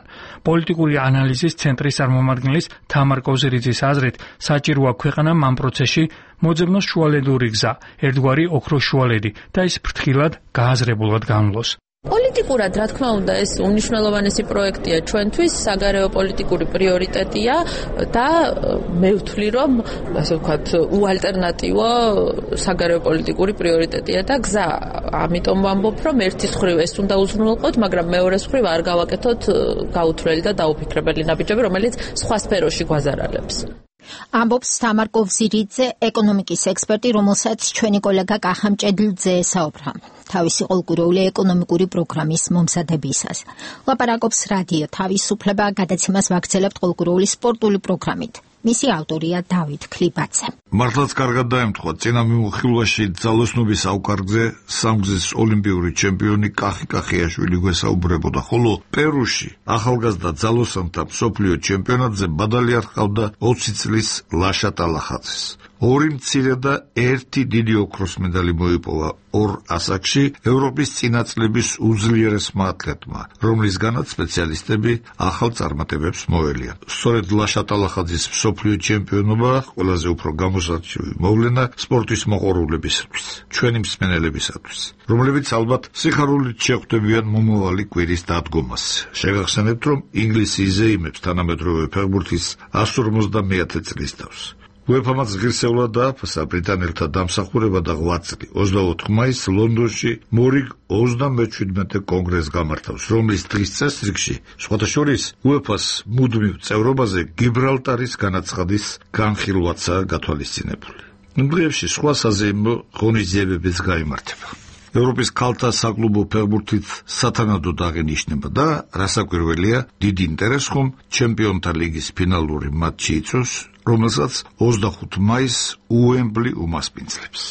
პოლიტიკური ანალიზის ცენტრის წარმომადგენლის თამარ კოვზირიძის აზრით, საჭიროა ქვეყანამ ამ პროცესში მოძებნოს შუალედური გზა, ერთგვარი ოქროს შუალედი და ის ფრთხილად, გააზრებულად განვლოს. პოლიტიკურად, რა თქმა უნდა, ეს უნიშნელოვანესი პროექტია ჩვენთვის, საგარეო პოლიტიკური პრიორიტეტია და მე ვთვლი, რომ ასე ვთქვათ, უალტერნატივო საგარეო პოლიტიკური პრიორიტეტია და გზა. ამიტომ ვამბობ, რომ ერთის მხრივ ეს უნდა უზრუნველყოთ, მაგრამ მეორეს მხრივ არ გავაკეთოთ გაუთვლელი და დაუფიქრებელი ნაბიჯები, რომელიც სხვა სფეროში გვაზარალებს. ამბობს თამარ კოვზირიძე, ეკონომიკის ექსპერტი, რომელსაც ჩვენი კოლეგა კახა მჭედლიძე ესაუბრა თავისი ყოლგურეული ეკონომიკური პროგრამის მომზადებისას. ლაპარაკობს რადიო თავისუფლება, გადაცემას ვაგრძელებთ ყოლგურეული სპორტული პროგრამით. მისი ავტორია დავით ქლიბაძე. მართლაც კარგად დაემთხვა წინა მიმოხილვაში ძალოსნობის ავკარგზე სამგზის ოლიმპიური ჩემპიონი კახი კახიაშვილი გვესაუბრებოდა, ხოლო პერუში ახალგაზრდა ძალოსანთა მსოფლიო ჩემპიონატზე ბადალი არ ჰყავდა ოცი წლის ლაშა ტალახაძეს. ორი მცირე და ერთი დიდი ოქროს medali მოიპოვა ორ ასაკში ევროპის წინაწლების უძლიერესმა ათლეტმა, რომლისგანაც სპეციალისტები ახალ წარმატებებს მოელიან. სწორედ ლაშა ტალახაძის მსოფლიო ჩემპიონობა ყველაზე უფრო გამოსარჩევი მოვლენა სპორტის მოყვარულებისთვის, ჩვენი მსმენელებისათვის, რომლებიც ალბათ სიხარულით შეხვდებიან მომავალი კვირის დადგომას. შეგახსენებთ, რომ ინგლისი იზეიმებს თანამედროვე ფეხბურთის εκατს ორმოცდამეათე წლის თავს. UEFA-მაც ღირსეულად დააფასა ბრიტანელთა დამსახურება და შვიდ წელი ოცდაოთხ მაისს ლონდონში მორიგ ოცდამეჩვიდმეტე კონგრესს გამართავს, რომლის დღის წესრიგში სხვათა შორის UEFA-ს მუდმივ წევრობაზე გიბრალტარის განაცხადის განხილვაცაა გათვალისწინებული. იმ დღეებში სხვა საზეიმო ღონისძიებებიც გაიმართება. ევროპის ქალთა საკლუბო ფეხბურთით სათანადოდ აღინიშნება და რასაკვირველია, დიდი ინტერესს ხომ ჩემპიონთა ლიგის ფინალური მატჩი იწვევს, რომელსაც ოცდახუთი მაისს უემბლი უმასპინძლებს.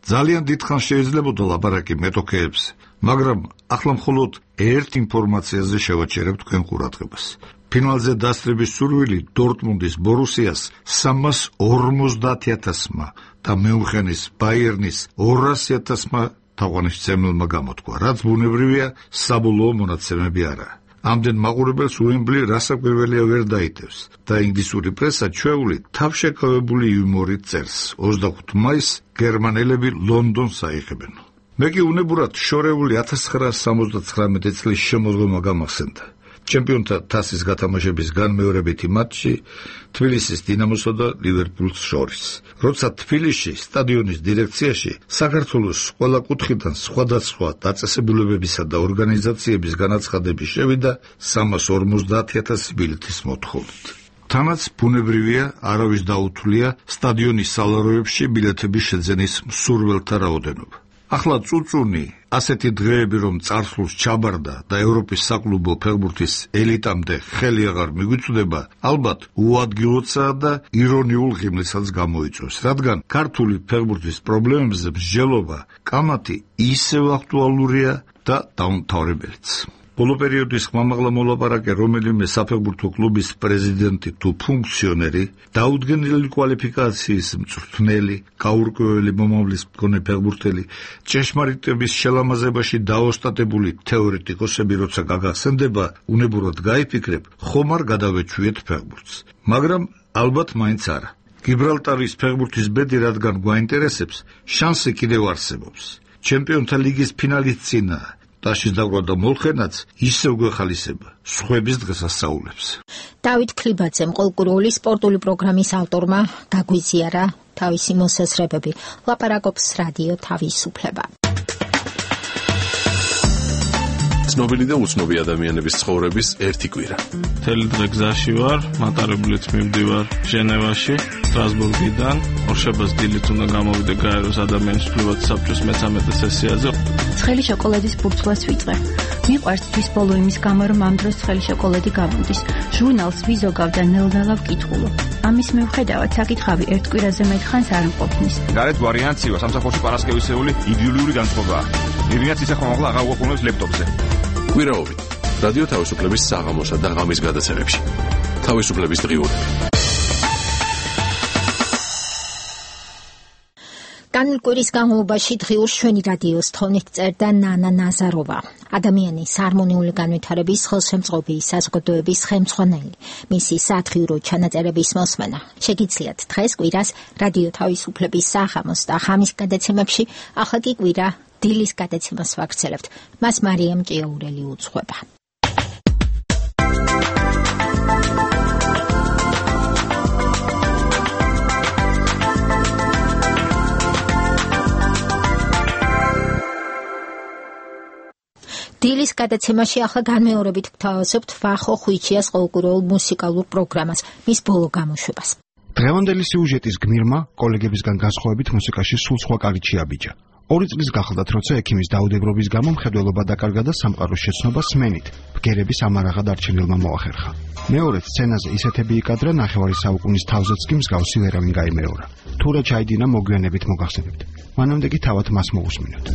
ძალიან დიდხანს შეიძლებოდა ლაპარაკი მეტოქეებზე, მაგრამ ახლა მხოლოდ ერთ ინფორმაციაზე შევაჩერებ თქვენ ყურადღებას. ფინალზე დასწრების სურვილი დორტმუნდის ბორუსიას სამას ორმოცდაათი ათასმა და მიუნხენის ბაიერნის ორასი ათასმა თაყვანისმცემელმა გამოთქვა, რაც ბუნებრივია, საბოლოო მონაცემები არაა. ამდენ მაყურებელს უემბლი რასაკვირველია ვერ დაიტევს და ინგლისური პრესა ჩვეული თავშეკავებული იუმორით წერს. ოცდახუთი მაისს გერმანელები ლონდონს აიღებენ. მე კი უნებურად შორეული ათას ცხრაასი სამოცდათხრამეტი წლის შემოდგომა გამახსენდა. ჩემპიონთა თასის გათამაშების განმეორებითი მატჩი თბილისის დინამოსა და ლივერპულს შორის. როცა თბილისში სტადიონის დირექციაში საქართველოს ყველა კუთხიდან სხვადასხვა დაწესებულებებისა და ორგანიზაციების განაცხადები შევიდა სამას ორმოცდაათი ათასი ბილეთის მოთხოვნით. თანაც ბუნებრივია, არავის დაუთვლია სტადიონის სალაროებში ბილეთების შეძენის მსურველთა რაოდენობა. ახლა წუწუნი ასეთი დღეები რომ წარსულს ჩაბარდა და ევროპის საკლუბო ფეხბურთის ელიტამდე ხელი აღარ მიგვიწვდება, ალბათ უადგილოთაა და ირონიულ ღიმილსაც გამოიწვევს, რადგან ქართული ფეხბურთის პრობლემებზე მსჯელობა კამათი ისევ აქტუალურია და დაუმთავრებელიც. ბოლო პერიოდის ხმამაღლა მოლაპარაკე რომელიმე საფეხბურთო კლუბის პრეზიდენტი თუ ფუნქციონერი, დაუდგენელი კვალიფიკაციის მწვრთნელი, გაურკვეველი მომავლის მქონე ფეხბურთელი, ჭეშმარიტების შელამაზებაში დაოსტატებული თეორეტიკოსები როცა გაგახსენდება, უნებურად გაიფიქრებ, ხომ არ გადავეჩვიეთ ფეხბურთს. მაგრამ ალბათ მაინც არა. გიბრალტარის ფეხბურთის ბედი რადგან გვაინტერესებს, შანსი კიდევ არსებობს. ჩემპიონთა ლიგის ფინალის წინა ტაშის დაგვრა და მოლხენაც ისევ გვეხალისება სხვების დღესასწაულებს. დავით ქლიბაძემ ყოლგურეული სპორტული პროგრამის ავტორმა გაგვიზიარა თავისი მოსაზრებები. ლაპარაკობს რადიო თავისუფლება. ცნობილი და უცნობი ადამიანების ცხოვრების ერთი კვირა. მთელი დღე გზაში ვარ, მატარებლით მივდივარ ჟენევაში, სტრასბურგიდან. ორშაბათს დილით უნდა გამოვიდე გაეროს ადამიანის უფლებათა საბჭოს მესამედე სესიაზე. ცხელი შოკოლადის ბურთულას ვიწყე. მიყვარს თვის ბოლო იმის გამო, რომ ამ დროს ცხელი შოკოლადი გამოდის. ჟურნალს ვიზოგავ და ნელ-ნელა ვკითხულობ. ამის მიუხედავად საკითხავი ერთ კვირაზე მეტხანს არ მყოფნის. გარეთ ვარიანციო სამსახურში პარასკევისეული იდეოლიური განწყობაა. მივინაც ისე ხომაღლა აღარ უყურებს ლეპტოპზე. კვირაობით რადიო თავისუფლების საღამოსა და ღამის გადაცემებში. თავისუფლების დღიურები. განმკვირის განმავლობაში დღიურს ჩვენი რადიოს თონით წერდა ნანა ნაზაროვა, ადამიანის ჰარმონიული განვითარების ხელშემწყობი საზოგადოების ხელმძღვანელი. მისი სათხიურო ჩანაწერების მოსმენა შეგიძლიათ დღეს კვირას რადიო თავისუფლების საღამოს და ღამის გადაცემებში, ახლა კი კვირა დილის გადაცემას ვაგრძელებთ. მას მარიამ ჭიაურელი უძღვება. დილის გადაცემაში ახლა განმეორებით გთავაზობთ ვახო ხვიჩიას ყოველკვირეულ მუსიკალურ პროგრამას, მის ბოლო გამოშვებას. დღევანდელი სიუჟეტის გმირმა კოლეგებისგან განსხვავებით მუსიკაში სულ სხვა კარგი აბიჯა. ორი წლის გახლდათ, როცა ექიმის დაუდებრობის გამო მხედველობა დაკარგა და სამყაროს შეცნობა სმენით ბგერების ამარაღად არჩენილმა მოახერხა. მეორე სცენაზე ისეთები იკადრა, ნახევარი საუკუნის თავზეც კი მსგავსი ვერავინ გაიმეორა. თუ რა ჩაიდინა, მოგვიანებით მოგახსენებთ. მანამდე კი თავად მას მოусმინოთ.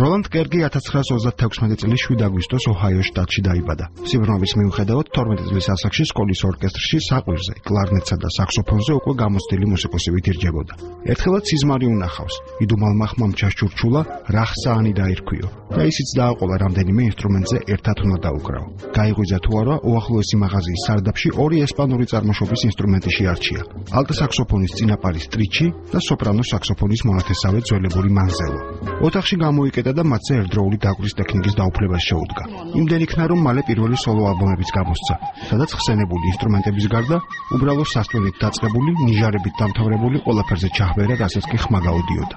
როლანდ კერგი ათას ცხრაას ოცდათექვსმეტი წლის შვიდ აგვისტოს ოჰაიოს შტატში დაიბადა. სიბრმავის მიუხედავად, თორმეტი წლის ასაკში სკოლის ორკესტრში საყვირზე, კლარნეტსა და საქსოფონზე უკვე გამოცდილი მუსიკოსი ვითირჯებოდა. ერთხელაც სიზმარი უნახავს. იდუმალმა ხმამ ჩასჩურჩულა, რახსაანი დაირქვიო და ისიც დააყოლა რამდენიმე ინსტრუმენტზე ერთად უნდა დაუკრავო. გაიღვიძა თუ არა, უახლოესი მაღაზიის სარდაფში ორი ესპანური წარმოშობის ინსტრუმენტი შეარჩია. ალტო საქსოფონის წინაპარი სტრიჩი და სოპრანო საქსოფონის მონათესავე ძველებური მანზელო. ოთახში გამოიკეტა და მათზე ერთდროული დაკვრის ტექნიკის დაუფლებას შეუდგა. იმდენ იქნა, რომ მალე პირველი სოლო ალბომებიც გამოსცა, სადაც ხსენებული ინსტრუმენტების გარდა უბრალო სასტვენით დაწყებული, ნიჟარებით დამთავრებული ყველაფერზე ჩაჰბერა, რასაც კი ხმა გაუდიოდა.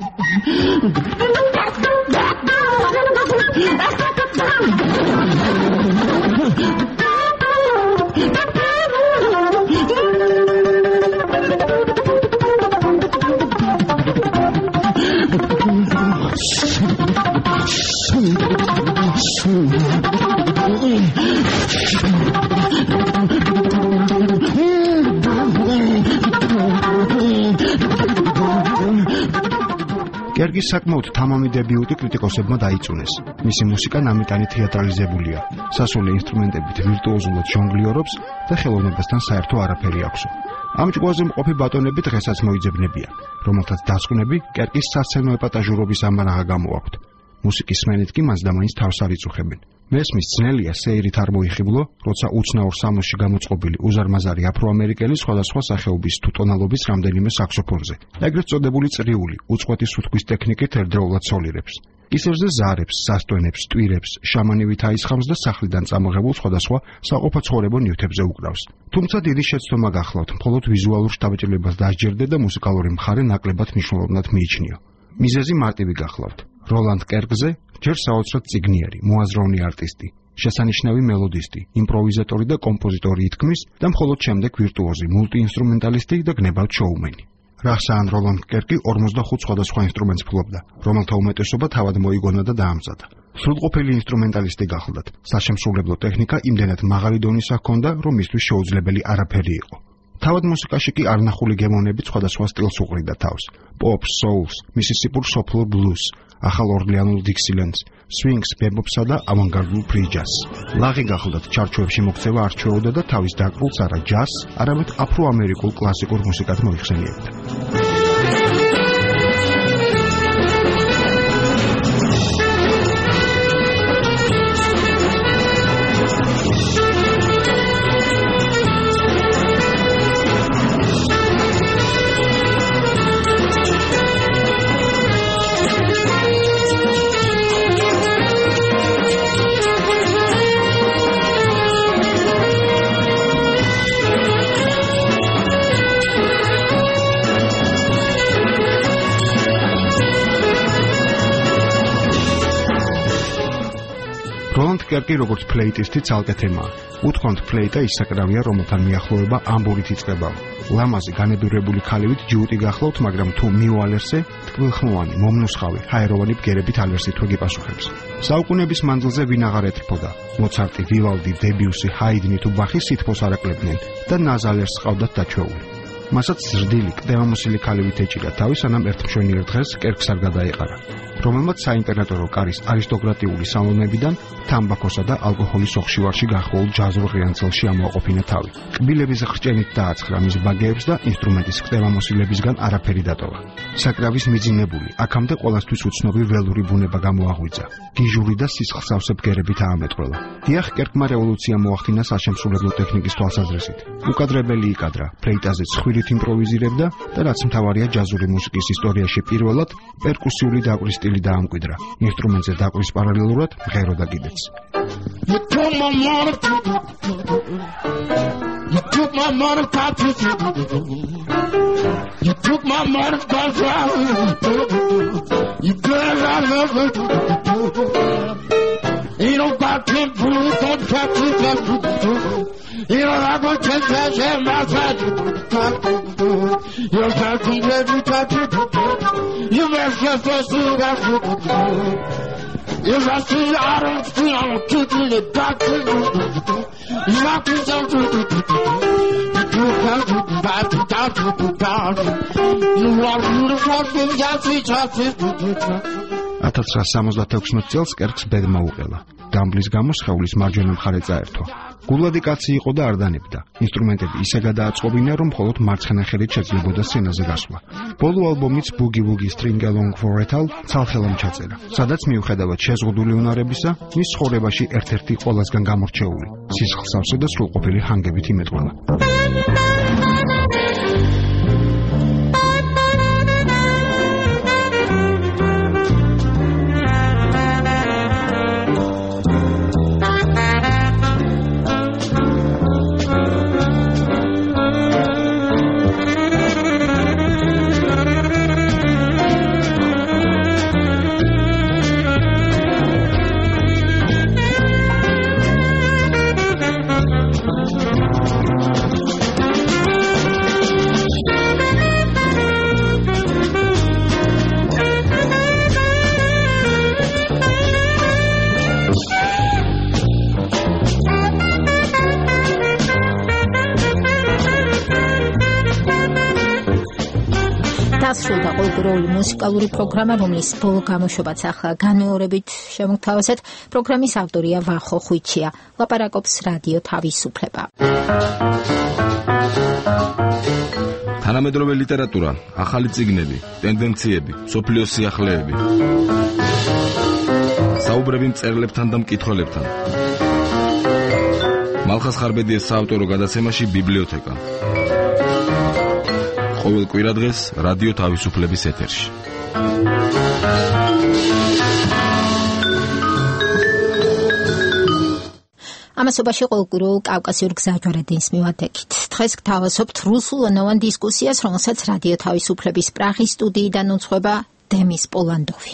კერგის საკმაოდ თამამი დებიუტი კრიტიკოსებმა დაიწუნეს. მისი მუსიკა ნამეტანი თეატრალიზებულია. სასულე ინსტრუმენტებით ვირტუოზულად ჟონგლიორობს და ხელოვნებასთან საერთო არაფერი აქვსო. ამ ჭკუაზე მყოფი ბატონები დღესაც მოიძებნებიან, რომელთაც დასკვნები კერგის სასცენო ეპატაჟურობის ამარაღა გამოაქვთ. მუსიკის სმენით კი მას და მაინც თავს არ იწუხებენ. მესმის ძნელია სეირით არ მოიხიბლო, როცა უცნაურ სამოსში გამოწყობილი უზარმაზარი აფროამერიკელი სხვადასხვა სახეობის თუ ტონალობის რამდენიმე საქსოფონზე. ეგრეთ წოდებული წრიული, უწყვეტი სუთქვის ტექნიკით ერთდროულად სოლირებს. ისერზე ზარებს, სასტვენებს, ტვირებს, შამანივით აისხამს და სახლიდან წამოღებულ სხვადასხვა საყოფაცხოვრებო ნივთებზე უკრავს. თუმცა დიდი შეცდომა გახლავთ, მხოლოდ ვიზუალურ შთაბეჭდილებას დასჯერდე და მუსიკალური მხარე ნაკლებად მნიშვნელოვნად მიიჩნიო. მიზეზი მარტივი გახლავთ. როლანდ კერგზე ჯერ საოცრად წიგნიერი, მოაზროვნე არტისტი, შესანიშნავი მელოდისტი, იმპროვიზატორი და კომპოზიტორი ითქმის და მხოლოდ შემდეგ ვირტუოზი, მულტიინსტრუმენტალისტი და გნებავ შოუმენი. რახსაან როლანდ კერგი ორმოცდახუთ სხვადასხვა ინსტრუმენტს ფლობდა, რომელთა უმეტესობა თავად მოიგონა და დაამზადა. სრულყოფილი ინსტრუმენტალისტი გახლდათ. საშემსრულებლო ტექნიკა იმდენად მაღალი დონისა ჰქონდა, რომ მისთვის შეუძლებელი არაფერი იყო. თავად მუსიკაში კი არნახული გემოვნებით სხვადასხვა სტილს უყრიდა თავს. პოპს, soul-ს, მისისიპურ სოფლურ ბლუზს, ახალ ორლეანულ დიქსილენდს, swing-ს, ბებოპსა და ავანგარდულ ფრიჯაზს. ლაღი გახლდათ ჩარჩოებში მოქცევა არ ჩვეოდა და თავის დაკრულს არა ჯაზს, არამედ აფროამერიკულ კლასიკურ მუსიკად მოიხსენიებდა. როლანდ კერგი როგორც ფლეიტისტი ცალკე თემაა. უთქვამთ ფლეიტა ის საკრავია, რომელთან მიახლოება ამბურით იწყება. ლამაზი განებირებული ქალივით ჯიუტი გახლავთ, მაგრამ თუ მიუალერსე, ტკბილხმოვანი, მომნუსხავი, ჰაეროვანი ბგერებით ალერსი თუ გიპასუხებს. საუკუნების მანძილზე ვინ აღარ ეთრფოდა. მოცარტი, ვილალდი, დებიუსი, ჰაიდნი თუ ბახი სითბოს არ აკლებდნენ და ნაზალერს ყავდათ დაჩვეული. მასაც ზრდილი, კდემამოსილი ქალივით ეჭირა თავი, სანამ ერთ მშვენიერ დღეს კერგს არ გადაეყარა. რომელმაც საიმპერატორო კარის არისტოკრატიული სალონებიდან თამბაქოსა და ალკოჰოლის ოხშივარში გახოულ ჯაზურ ღრიანცელში ამოაყოფინა თავი. კბილების ხრჭენით დააცხრა მის ბაგეებს და ინსტრუმენტის ხტევამოსილებისგან არაფერი დატოვა. საკრავის მიძინებული, აქამდე ყველასთვის უცნობი ველური ბუნება გამოაღვიძა. გიჟური და სისხლსავსე ბგერებით აამეტროლა. დიახ, კერკმა რევოლუცია მოახდინა საშემსრულებლო ტექნიკის თვალსაზრისით. უკადრებელი იკადრა, ფლეიტაზე ცხვირით იმპროვიზირებდა და რაც მთავარია ჯაზური მუსიკის ისტორიაში პირველად პერკუსიული დაკვრის სტილი დაამკვიდრა. ინსტრუმენტზე დაკვრის პარალელურად მღეროდა კიდეც. You took my money, you took my money, you took my money, you girl I love it. You don't got ten fools, don't catch it, you don't have a ten cash and my side. You don't have to let me touch it. You mess your first food, that's it. If I see you, I don't feel I'm kicking the doctor. You knock yourself to the you can't do the bad to doctor to doctor. You want to do the fucking jassy jassy. ათას ცხრაასი სამოცდათექვსმეტ წელს კერკს ბედმა უყელა. დამბლის გამო სხეულის მარჯვენა მხარე წაერთვა. გულადი კაცი იყო და არ დანებდა. ინსტრუმენტები ისე გადააწყობინა, რომ მხოლოდ მარცხენა ხელით შეძლებოდა სცენაზე გასვლა. ბოლო ალბომიც Boogie Woogie String Along for a Tall ცალხელამ ჩაწერა, სადაც მიუხედავად შეზღუდული უნარებისა, მის ცხოვრებაში ერთ-ერთი ყველასგან გამორჩეული, სისხლსავსე და სრულყოფილი ჰანგებით იმეტყველა. დასრულდა ყოველდღიური მუსიკალური პროგრამა, რომლის ბოლო გამოშვებაც ახლა განმეორებით შემოგთავაზეთ. პროგრამის ავტორია ვახო ხვიჩია. ლაპარაკობს რადიო თავისუფლება. თანამედროვე ლიტერატურა, ახალი წიგნები, ტენდენციები, სოფლიოს სიახლეები. საუბრები მწერლებთან და მკითხველებთან. მალხას ხარბედიეს საავტორო გადაცემაში ბიბლიოთეკა. ყოველ კვირადღეს რადიო თავისუფლების ეთერში. ამასობაში ყოველკვირეულ კავკასიურ გზაჯვარედინს მივადგეთ. დღეს გთავაზობთ რუსულენოვან დისკუსიას, რომელსაც რადიო თავისუფლების პრაღის სტუდიიდან უძღვება დემის პოლანდოვი.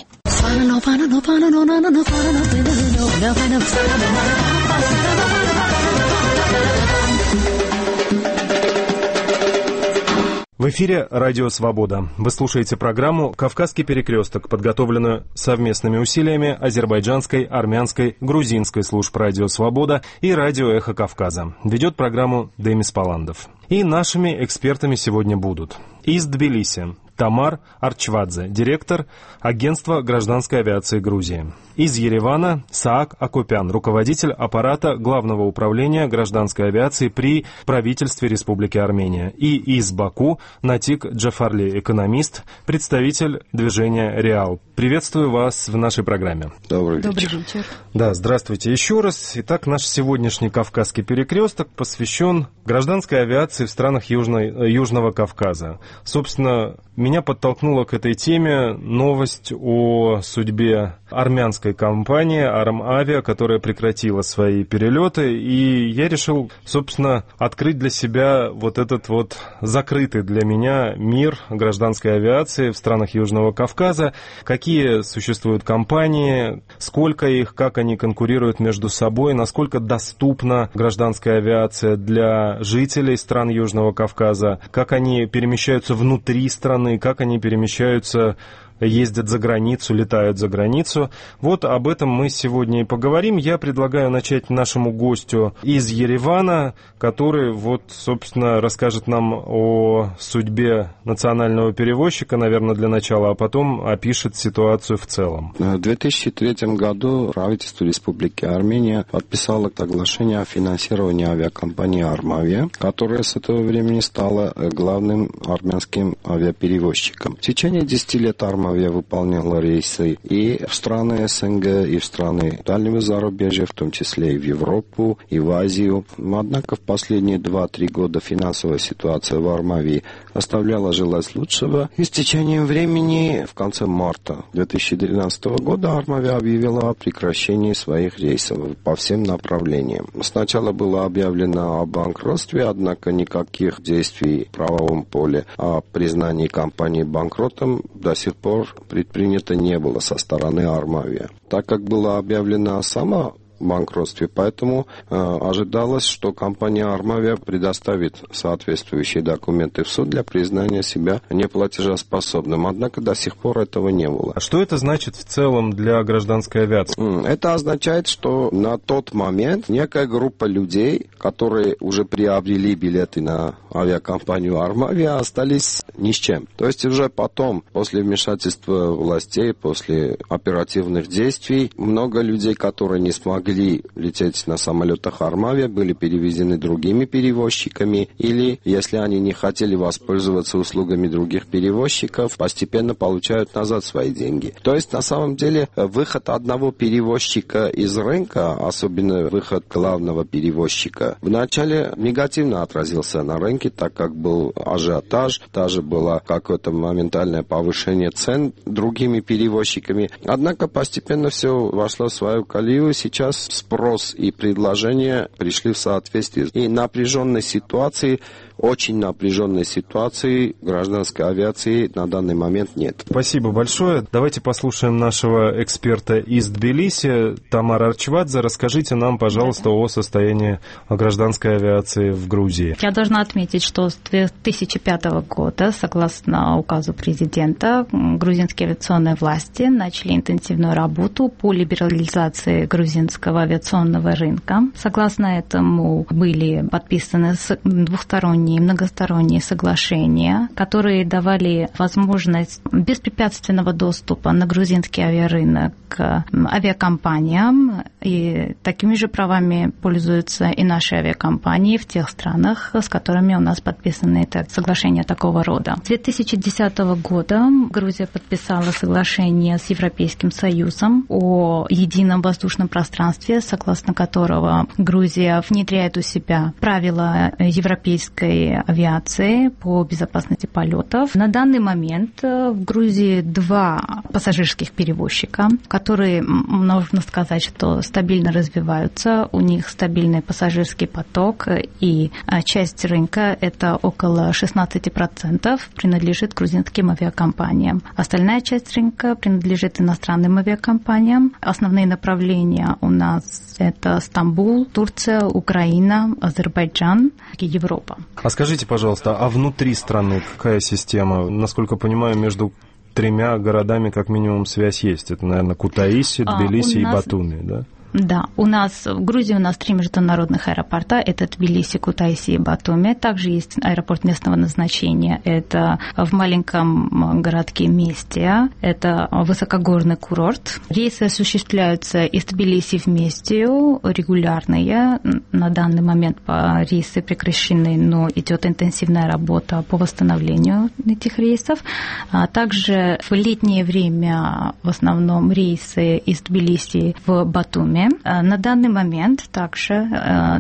В эфире «Радио Свобода». Вы слушаете программу «Кавказский перекресток», подготовленную совместными усилиями азербайджанской, армянской, грузинской служб «Радио Свобода» и «Радио Эхо Кавказа». Ведет программу Демис Поландов. И нашими экспертами сегодня будут из Тбилиси Тамар Арчвадзе, директор агентства гражданской авиации Грузии. Из Еревана Саак Акопян, руководитель аппарата Главного управления гражданской авиации при правительстве Республики Армения. И из Баку Натик Джафарли, экономист, представитель движения «Реал». Приветствую вас в нашей программе. Добрый вечер. Добрый вечер. Да, здравствуйте еще раз. Итак, наш сегодняшний Кавказский перекресток посвящен гражданской авиации в странах Южной, Южного Кавказа. Собственно, меня подтолкнула к этой теме новость о судьбе армянской компании «Армавиа», которая прекратила свои перелеты, и я решил, собственно, открыть для себя вот этот вот закрытый для меня мир гражданской авиации в странах Южного Кавказа. Какие существуют компании, сколько их, как они конкурируют между собой, насколько доступна гражданская авиация для жителей стран Южного Кавказа, как они перемещаются внутри страны, как они перемещаются ездят за границу, летают за границу. Вот об этом мы сегодня и поговорим. Я предлагаю начать нашему гостю из Еревана, который вот, собственно, расскажет нам о судьбе национального перевозчика, наверное, для начала, а потом опишет ситуацию в целом. В две тысячи третьем году правительство Республики Армения подписало соглашение о финансировании авиакомпании «Армавия», которая с этого времени стала главным армянским авиаперевозчиком. В течение десяти лет «Армавия» выполняла рейсы и в страны СНГ, и в страны дальнего зарубежья, в том числе и в Европу, и в Азию. Однако в последние два-три года финансовая ситуация в «Армавии» оставляла желать лучшего. И с течением времени, в конце марта две тысячи двенадцатого года, «Армавия» объявила о прекращении своих рейсов по всем направлениям. Сначала было объявлено о банкротстве, однако никаких действий в правовом поле о признании компании банкротом до сих пор предпринято не было со стороны «Армавия». Так как было объявлено само банкротстве, поэтому э, ожидалось, что компания «Армавия» предоставит соответствующие документы в суд для признания себя неплатежеспособным. Однако до сих пор этого не было. А что это значит в целом для гражданской авиации? Это означает, что на тот момент некая группа людей, которые уже приобрели билеты на авиакомпанию «Армавия», остались ни с чем. То есть уже потом, после вмешательства властей, после оперативных действий, много людей, которые не смогли лететь на самолетах «Армавия», были перевезены другими перевозчиками, или, если они не хотели воспользоваться услугами других перевозчиков, постепенно получают назад свои деньги. То есть, на самом деле, выход одного перевозчика из рынка, особенно выход главного перевозчика, вначале негативно отразился на рынке, так как был ажиотаж, даже было какое-то моментальное повышение цен другими перевозчиками. Однако постепенно все вошло в свою колею. Сейчас спрос и предложение пришли в соответствие. И напряженной ситуации, очень напряженной ситуации гражданской авиации на данный момент нет. Спасибо большое. Давайте послушаем нашего эксперта из Тбилиси, Тамара Арчвадзе. Расскажите нам, пожалуйста, о состоянии гражданской авиации в Грузии. Я должна отметить, что с две тысячи пятого года, согласно указу президента, грузинские авиационные власти начали интенсивную работу по либерализации грузинского авиационного рынка. Согласно этому были подписаны двухсторонние и многосторонние соглашения, которые давали возможность беспрепятственного доступа на грузинский авиарынок к авиакомпаниям, и такими же правами пользуются и наши авиакомпании в тех странах, с которыми у нас подписаны соглашения такого рода. С две тысячи десятого года Грузия подписала соглашение с Европейским Союзом о едином воздушном пространстве, согласно которого Грузия внедряет у себя правила европейской авиации по безопасности полетов. На данный момент в Грузии два пассажирских перевозчика, которые, можно сказать, что стабильно развиваются. У них стабильный пассажирский поток, и часть рынка, это около шестнадцать процентов, принадлежит грузинским авиакомпаниям. Остальная часть рынка принадлежит иностранным авиакомпаниям. Основные направления у нас это Стамбул, Турция, Украина, Азербайджан и Европа. А скажите, пожалуйста, а внутри страны какая система? Насколько понимаю, между тремя городами как минимум связь есть. Это, наверное, Кутаиси, Тбилиси а, и нас... Батуми, да? Да, у нас в Грузии у нас три международных аэропорта, это Тбилиси, Кутаиси и Батуми. Также есть аэропорт местного назначения, это в маленьком городке Местия, это высокогорный курорт. Рейсы осуществляются из Тбилиси в Местию, регулярные. На данный момент рейсы прекращены, но идет интенсивная работа по восстановлению этих рейсов. А также в летнее время в основном рейсы из Тбилиси в Батуми. На данный момент также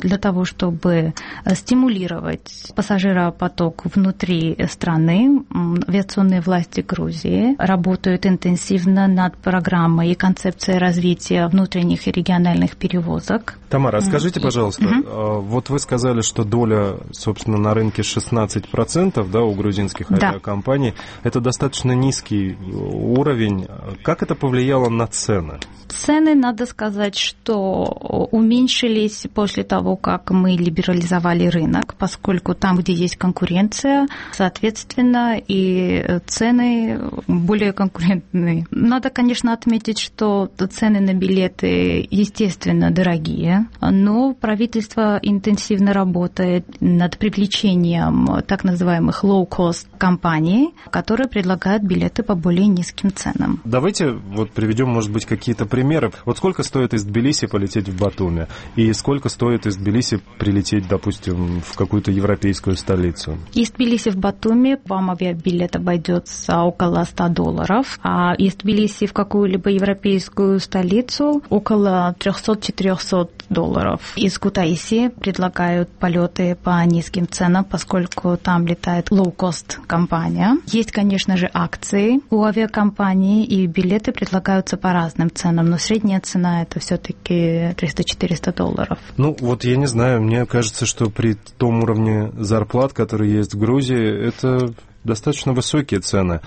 для того, чтобы стимулировать пассажиропоток внутри страны, авиационные власти Грузии работают интенсивно над программой и концепцией развития внутренних и региональных перевозок. Тамара, скажите, пожалуйста, mm-hmm. вот вы сказали, что доля, собственно, на рынке шестнадцать процентов, да, у грузинских авиакомпаний. Да. Это достаточно низкий уровень. Как это повлияло на цены? Цены, надо сказать, что уменьшились после того, как мы либерализовали рынок, поскольку там, где есть конкуренция, соответственно, и цены более конкурентные. Надо, конечно, отметить, что цены на билеты, естественно, дорогие, но правительство интенсивно работает над привлечением так называемых low-cost компаний, которые предлагают билеты по более низким ценам. Давайте вот приведем, может быть, какие-то примеры. Вот сколько стоит из Тбилиси полететь в Батуми? И сколько стоит из Тбилиси прилететь, допустим, в какую-то европейскую столицу? Из Тбилиси в Батуми вам авиабилет обойдется около ста долларов, а из Тбилиси в какую-либо европейскую столицу около триста-четыреста долларов. Из Кутаиси предлагают полеты по низким ценам, поскольку там летает low-cost компания. Есть, конечно же, акции у авиакомпании, и билеты предлагаются по разным ценам, но средняя цена это все-таки триста-четыреста долларов. Ну, вот я не знаю, мне кажется, что при том уровне зарплат, который есть в Грузии, это достаточно высокие цены.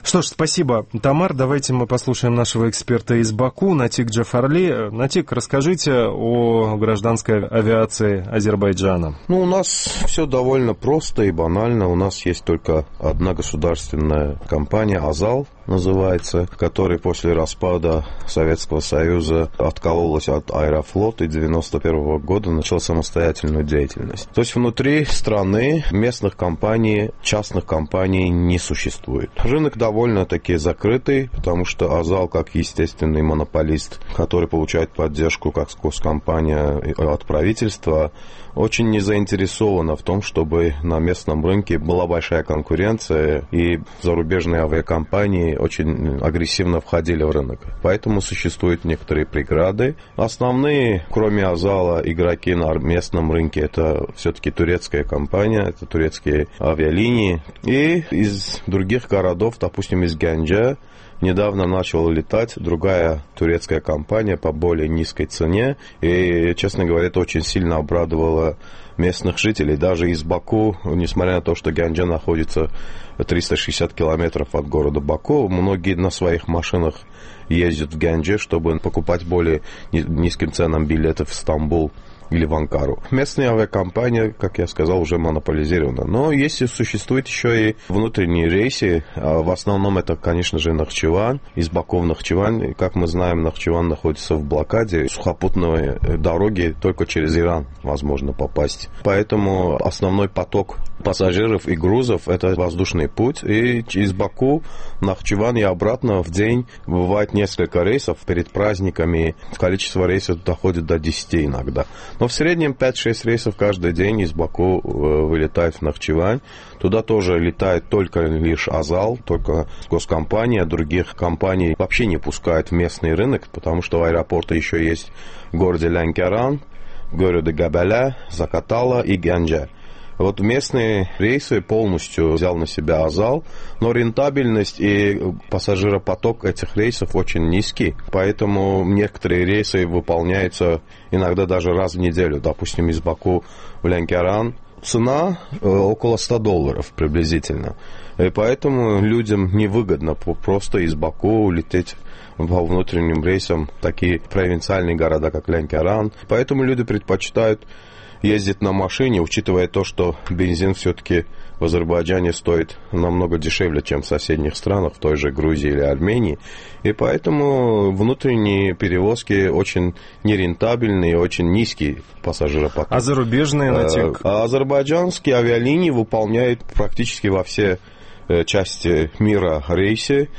Что ж, спасибо, Тамар. Давайте мы послушаем нашего эксперта из Баку, Натик Джафарли. Натик, расскажите о гражданской авиации Азербайджана. Ну, у нас все довольно просто и банально. У нас есть только одна государственная компания, Азал называется, которая после распада Советского Союза откололась от Аэрофлота и девяносто первого года начала самостоятельную деятельность. То есть внутри страны местных компаний, частных компаний не существует. Рынок довольно-таки закрытый, потому что Азал, как естественный монополист, который получает поддержку как госкомпания от правительства, очень не заинтересована в том, чтобы на местном рынке была большая конкуренция, и зарубежные авиакомпании очень агрессивно входили в рынок. Поэтому существуют некоторые преграды. Основные, кроме Азала, игроки на местном рынке — это все-таки турецкая компания, это турецкие авиалинии. И из других городов, допустим, из Гянджа, недавно начала летать другая турецкая компания по более низкой цене. И, честно говоря, это очень сильно обрадовало местных жителей. Даже из Баку, несмотря на то, что Гянджа находится триста шестьдесят километров от города Баку, многие на своих машинах ездят в Гяндже, чтобы покупать более низким ценам билеты в Стамбул или в Анкару. Местная авиакомпания, как я сказал, уже монополизирована. Но если существуют еще и внутренние рейсы, в основном это, конечно же, Нахчеван, из Баку в Нахчеван. Как мы знаем, Нахчеван находится в блокаде. Сухопутной дороги только через Иран возможно попасть. Поэтому основной поток пассажиров и грузов — это воздушный путь. И из Баку в Нахчеван и обратно в день бывает несколько рейсов. Перед праздниками количество рейсов доходит до десяти иногда. Но в среднем пять-шесть рейсов каждый день из Баку вылетает в Нахчевань. Туда тоже летает только лишь Азал, только госкомпания. Других компаний вообще не пускают в местный рынок, потому что аэропорты еще есть в городе Лянкеран, в городе Габаля, Закатала и Гянджа. Вот местные рейсы полностью взял на себя Азал, но рентабельность и пассажиропоток этих рейсов очень низкий, поэтому некоторые рейсы выполняются иногда даже раз в неделю. Допустим, из Баку в Лянкеран цена около ста долларов приблизительно. И поэтому людям невыгодно просто из Баку лететь по внутренним рейсам в такие провинциальные города, как Лянкеран. Поэтому люди предпочитают ездить на машине, учитывая то, что бензин все-таки в Азербайджане стоит намного дешевле, чем в соседних странах, в той же Грузии или Армении. И поэтому внутренние перевозки очень нерентабельные, очень низкий пассажиропоток. А зарубежные, Натик? А азербайджанские авиалинии выполняют практически во все части мира рейсы.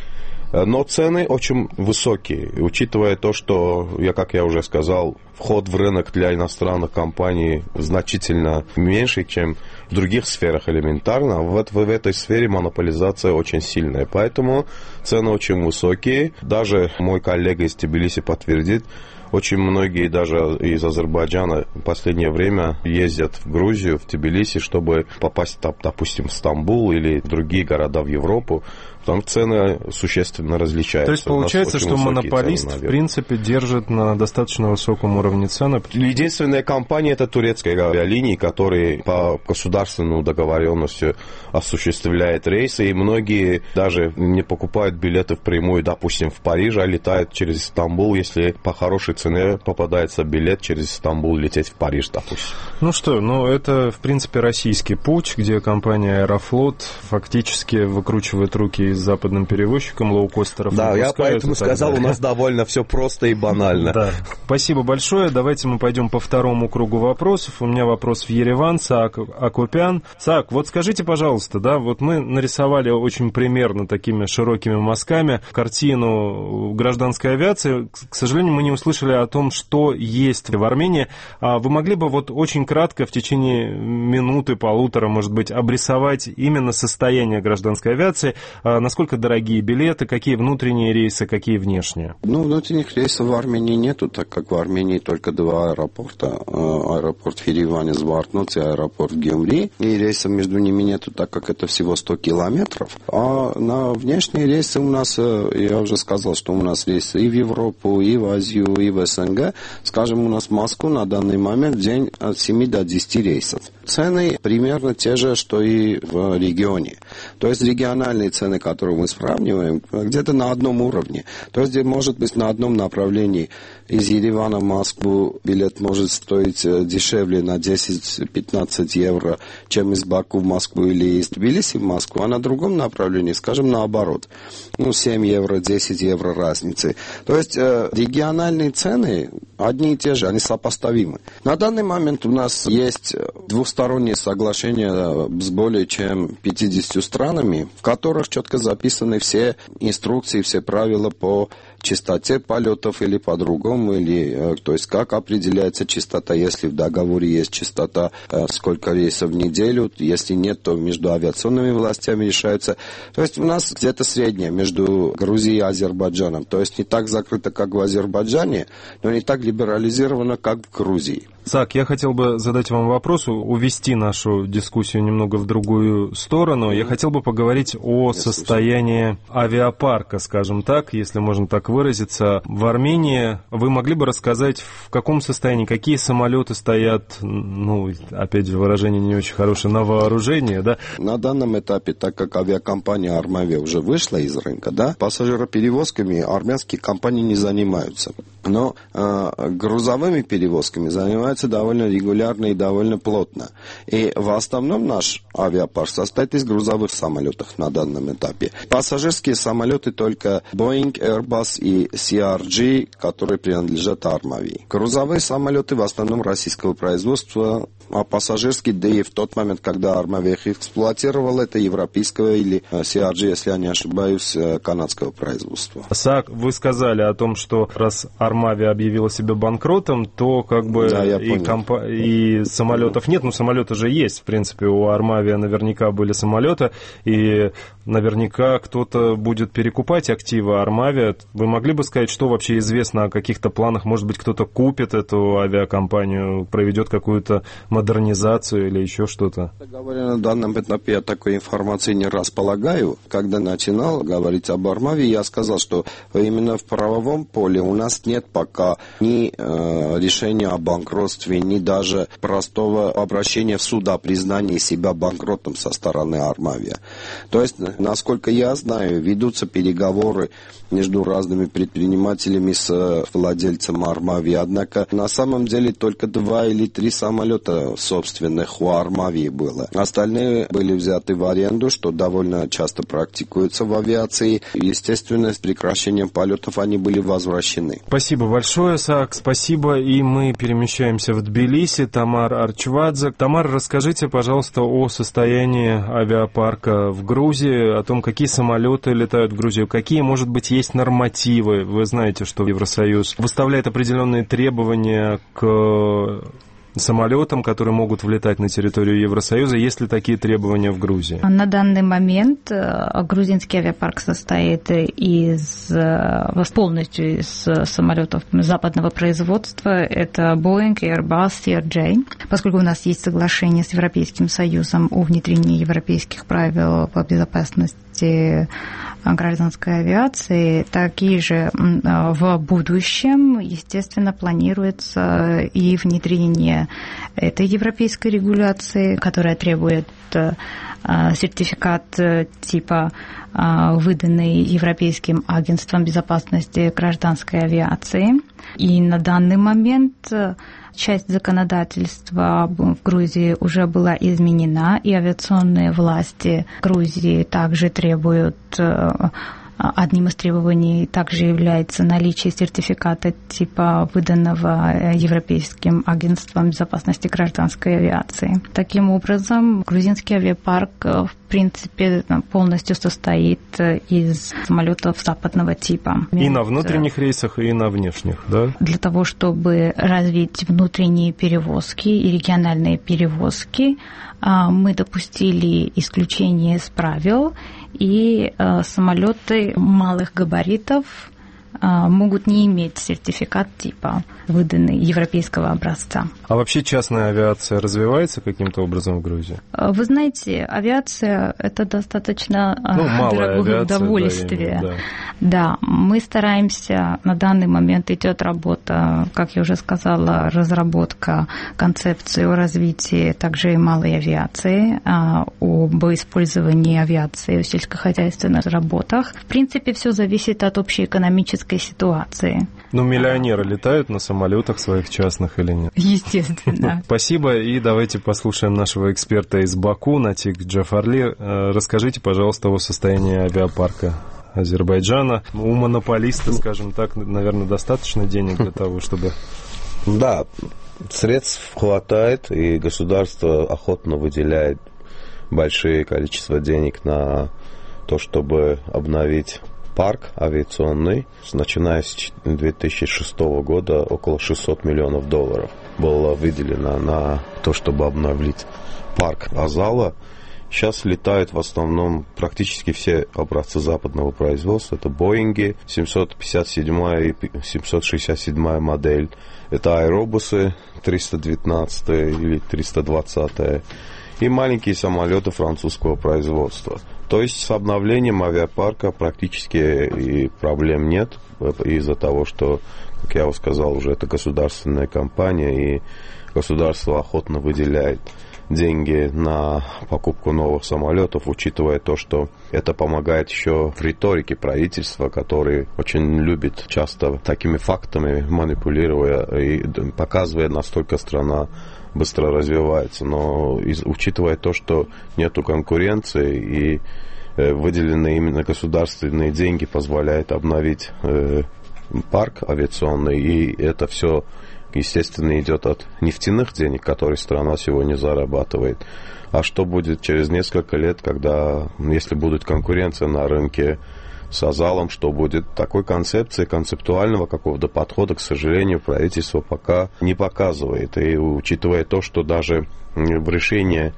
Но цены очень высокие, учитывая то, что, я, как я уже сказал, вход в рынок для иностранных компаний значительно меньше, чем в других сферах элементарно. В, в этой сфере монополизация очень сильная, поэтому цены очень высокие. Даже мой коллега из Тбилиси подтвердит, очень многие даже из Азербайджана в последнее время ездят в Грузию, в Тбилиси, чтобы попасть, допустим, в Стамбул или в другие города в Европу. Там цены существенно различаются. То есть получается, что монополист, цены, в принципе, держит на достаточно высоком уровне цены? Единственная компания — это турецкая авиалинии, которая по государственной договоренности осуществляет рейсы, и многие даже не покупают билеты впрямую, допустим, в Париж, а летают через Стамбул, если по хорошей цене попадается билет через Стамбул лететь в Париж, допустим. Ну что, ну это, в принципе, российский путь, где компания «Аэрофлот» фактически выкручивает руки с западным перевозчиком, лоукостеров. Да, я поэтому сказал, у нас довольно все просто и банально. Да. Спасибо большое. Давайте мы пойдем по второму кругу вопросов. У меня вопрос в Ереван, Саак Акопян. Саак, вот скажите, пожалуйста, да, вот мы нарисовали очень примерно такими широкими мазками картину гражданской авиации. К сожалению, мы не услышали о том, что есть в Армении. Вы могли бы вот очень кратко, в течение минуты, полутора, может быть, обрисовать именно состояние гражданской авиации, насколько дорогие билеты, какие внутренние рейсы, какие внешние? Ну, внутренних рейсов в Армении нету, так как в Армении только два аэропорта. Аэропорт в Ереване, Звартноц и аэропорт в Гюмри. И рейсов между ними нету, так как это всего сто километров. А на внешние рейсы у нас, я уже сказал, что у нас рейсы и в Европу, и в Азию, и в СНГ. Скажем, у нас в Москву на данный момент в день от семи до десяти рейсов. Цены примерно те же, что и в регионе. То есть региональные цены, которые мы сравниваем, где-то на одном уровне. То есть, может быть, на одном направлении из Еревана в Москву билет может стоить дешевле на десять-пятнадцать евро, чем из Баку в Москву или из Тбилиси в Москву, а на другом направлении, скажем, наоборот. Ну, семь евро, десять евро разницы. То есть региональные цены одни и те же, они сопоставимы. На данный момент у нас есть двусторонние соглашения с более чем пятьюдесятью странами, в которых четко записаны все инструкции, все правила по частоте полетов или по-другому, или, то есть как определяется частота, если в договоре есть частота, сколько рейсов в неделю, если нет, то между авиационными властями решаются. То есть у нас где-то среднее между Грузией и Азербайджаном, то есть не так закрыто, как в Азербайджане, но не так либерализировано, как в Грузии. Саак, я хотел бы задать вам вопрос, увести нашу дискуссию немного в другую сторону. Я хотел бы поговорить о состоянии авиапарка, скажем так, если можно так выразиться, в Армении. Вы могли бы рассказать, в каком состоянии, какие самолеты стоят, ну, опять же, выражение не очень хорошее, на вооружении, да? На данном этапе, так как авиакомпания «Армавия» уже вышла из рынка, да, пассажироперевозками армянские компании не занимаются. Но э, грузовыми перевозками занимаются довольно регулярно и довольно плотно. И в основном наш авиапарк состоит из грузовых самолетов на данном этапе. Пассажирские самолеты только Boeing, Airbus и си ар джи, которые принадлежат Армавии. Грузовые самолеты в основном российского производства, а пассажирские, да и в тот момент, когда Армавия их эксплуатировала, это европейского или си ар джи, если я не ошибаюсь, канадского производства. Саак, вы сказали о том, что раз Армавия объявила себя банкротом, то как бы да, и, компа- и самолетов нет, но самолеты же есть, в принципе, у Армавии наверняка были самолеты, и наверняка кто-то будет перекупать активы Армавия. Вы могли бы сказать, что вообще известно о каких-то планах? Может быть, кто-то купит эту авиакомпанию, проведет какую-то модернизацию или еще что-то? Говоря на данном этапе, я такой информации не располагаю. Когда начинал говорить об Армавии, я сказал, что именно в правовом поле у нас нет пока ни э, решения о банкротстве, ни даже простого обращения в суд о признании себя банкротом со стороны Армавия. То есть, насколько я знаю, ведутся переговоры между разными предпринимателями с владельцем Армавии. Однако на самом деле только два или три самолета собственных у Армавии было. Остальные были взяты в аренду, что довольно часто практикуется в авиации. Естественно, с прекращением полетов они были возвращены. Спасибо большое, Саак, спасибо. И мы перемещаемся в Тбилиси. Тамар Арчвадзе. Тамар, расскажите, пожалуйста, о состоянии авиапарка в Грузии, о том, какие самолеты летают в Грузию, какие, может быть, есть нормативы. Вы знаете, что Евросоюз выставляет определенные требования к самолетам, которые могут влетать на территорию Евросоюза. Есть ли такие требования в Грузии? На данный момент грузинский авиапарк состоит из, полностью из самолетов западного производства. Это Boeing, Airbus, си ар джи. Поскольку у нас есть соглашение с Европейским Союзом о внедрении европейских правил по безопасности гражданской авиации, такие же в будущем, естественно, планируется и внедрение этой европейской регуляции, которая требует сертификат типа, выданный Европейским агентством безопасности гражданской авиации. И на данный момент часть законодательства в Грузии уже была изменена, и авиационные власти Грузии также требуют, одним из требований также является наличие сертификата типа выданного Европейским агентством безопасности гражданской авиации. Таким образом, грузинский авиапарк в принципе полностью состоит из самолетов западного типа. И на внутренних рейсах, и на внешних, да? Для того, чтобы развить внутренние перевозки и региональные перевозки, мы допустили исключение из правил, и самолеты малых габаритов могут не иметь сертификат типа, выданный европейского образца. А вообще частная авиация развивается каким-то образом в Грузии? Вы знаете, авиация – это достаточно ну, дорогое авиация, удовольствие. Да, именно, да, да. мы стараемся, на данный момент идет работа, как я уже сказала, разработка концепции о развитии также и малой авиации, об использовании авиации в сельскохозяйственных работах. В принципе, все зависит от общей экономической ситуации. Ну, миллионеры летают на самолетах своих частных или нет? Естественно. Спасибо, и давайте послушаем нашего эксперта из Баку, Натик Джафарли. Расскажите, пожалуйста, о состоянии авиапарка Азербайджана. У монополиста, скажем так, наверное, достаточно денег для того, чтобы... Да, средств хватает, и государство охотно выделяет большое количество денег на то, чтобы обновить парк авиационный, начиная с две тысячи шестого года около шестьсот миллионов долларов было выделено на то, чтобы обновить парк Азала. Сейчас летают в основном практически все образцы западного производства. Это Боинги семьсот пятьдесят седьмая и семьсот шестьдесят седьмая модель. Это аэробусы триста девятнадцать или триста двадцать. И маленькие самолеты французского производства. То есть с обновлением авиапарка практически и проблем нет, из-за того, что, как я уже сказал, уже это государственная компания, и государство охотно выделяет деньги на покупку новых самолетов, учитывая то, что это помогает еще в риторике правительства, который очень любит часто такими фактами манипулируя и показывая, насколько страна быстро развивается. Но из, учитывая то, что нету конкуренции и э, выделенные именно государственные деньги позволяют обновить э, парк авиационный, и это все, естественно, идет от нефтяных денег, которые страна сегодня зарабатывает. А что будет через несколько лет, когда, если будет конкуренция на рынке с Азалом, что будет? Такой концепции, концептуального какого-то подхода, к сожалению, правительство пока не показывает. И учитывая то, что даже в решении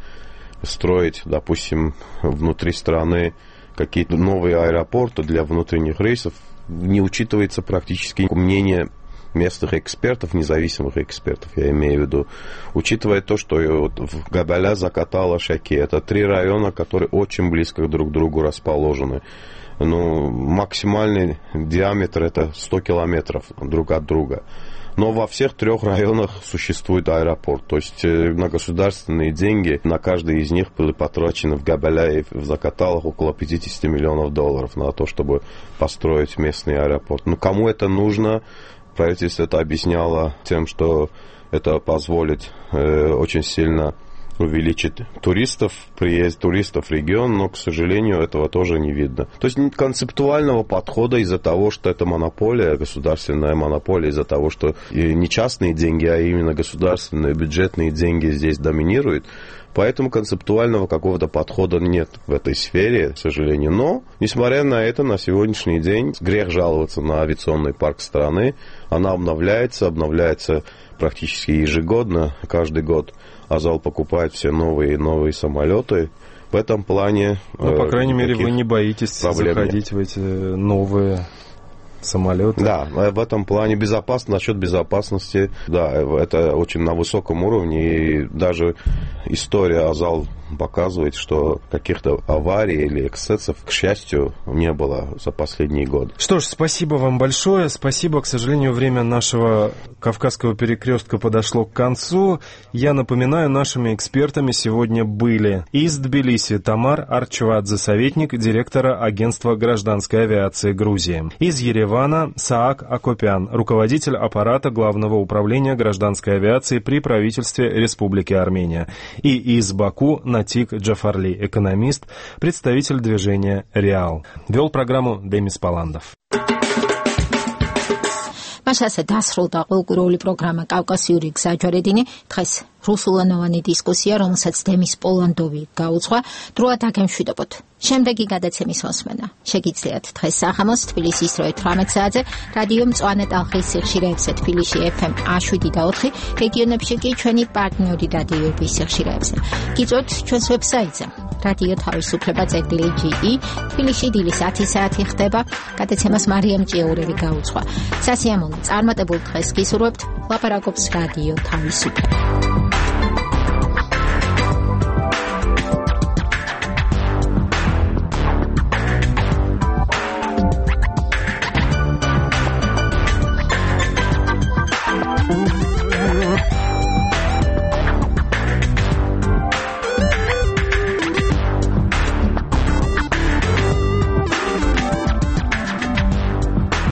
строить, допустим, внутри страны какие-то новые аэропорты для внутренних рейсов, не учитывается практически мнение местных экспертов, независимых экспертов, я имею в виду, учитывая то, что вот в Габаля, Закатала, Шаки, это три района, которые очень близко друг к другу расположены. Ну, максимальный диаметр это сто километров друг от друга. Но во всех трех районах существует аэропорт. То есть на государственные деньги на каждый из них были потрачены в Габаля и в Закаталах около пятьдесят миллионов долларов на то, чтобы построить местный аэропорт. Ну, кому это нужно? Правительство это объясняло тем, что это позволит э, очень сильно увеличить туристов, приезд туристов в регион, но, к сожалению, этого тоже не видно. То есть концептуального подхода из-за того, что это монополия, государственная монополия, из-за того, что не частные деньги, а именно государственные бюджетные деньги здесь доминируют, поэтому концептуального какого-то подхода нет в этой сфере, к сожалению. Но, несмотря на это, на сегодняшний день грех жаловаться на авиационный парк страны. Она обновляется, обновляется практически ежегодно, каждый год. Азал покупает все новые и новые самолеты. В этом плане... Ну, по крайней мере, вы не боитесь заходить в эти новые самолеты. Да, в этом плане безопасность, насчет безопасности, да, это очень на высоком уровне. И даже история Азал показывает, что каких-то аварий или эксцессов, к счастью, не было за последние годы. Что ж, спасибо вам большое. Спасибо. К сожалению, время нашего Кавказского перекрестка подошло к концу. Я напоминаю, нашими экспертами сегодня были из Тбилиси Тамар Арчвадзе, советник директора Агентства гражданской авиации Грузии. Из Еревана Саак Акопян, руководитель аппарата Главного управления гражданской авиации при правительстве Республики Армения. И из Баку Натик Джафарли, экономист, представитель движения «Реал». Вел программу Демис Паландов. მას ასე დასრულდა კულტურული პროგრამა კავკასიური გზაჯვარედინი. დღეს რუსულენოვანი დისკუსია, რომელსაც დემის პოლანდოვი გაუძღვა, დროა დაგემშვიდობოთ. შემდეგი გადაცემის მოსმენა შეგიძლიათ დღეს სახამოს თბილისის რვა თვრამეტ საათზე, რადიო მწვანე ტალღის სიხშირეებზე თბილისში ეფ ემ შვიდ და ოთხი, რეგიონებში კი ჩვენი პარტნიორი რადიოების სიხშირეებზე. გიწვევთ ჩვენს ვებსაიტზე რადიო თავისუფლება წერტილი ჯი ი, თბილისში დილის ათი საათი ხდება, გადაცემას მარიამ ჭიაურელი გაუძღვა. სასიამოვნო წარმატებულ დღეს გისურვებთ, ლაპარაკობს რადიო თავისუფლება.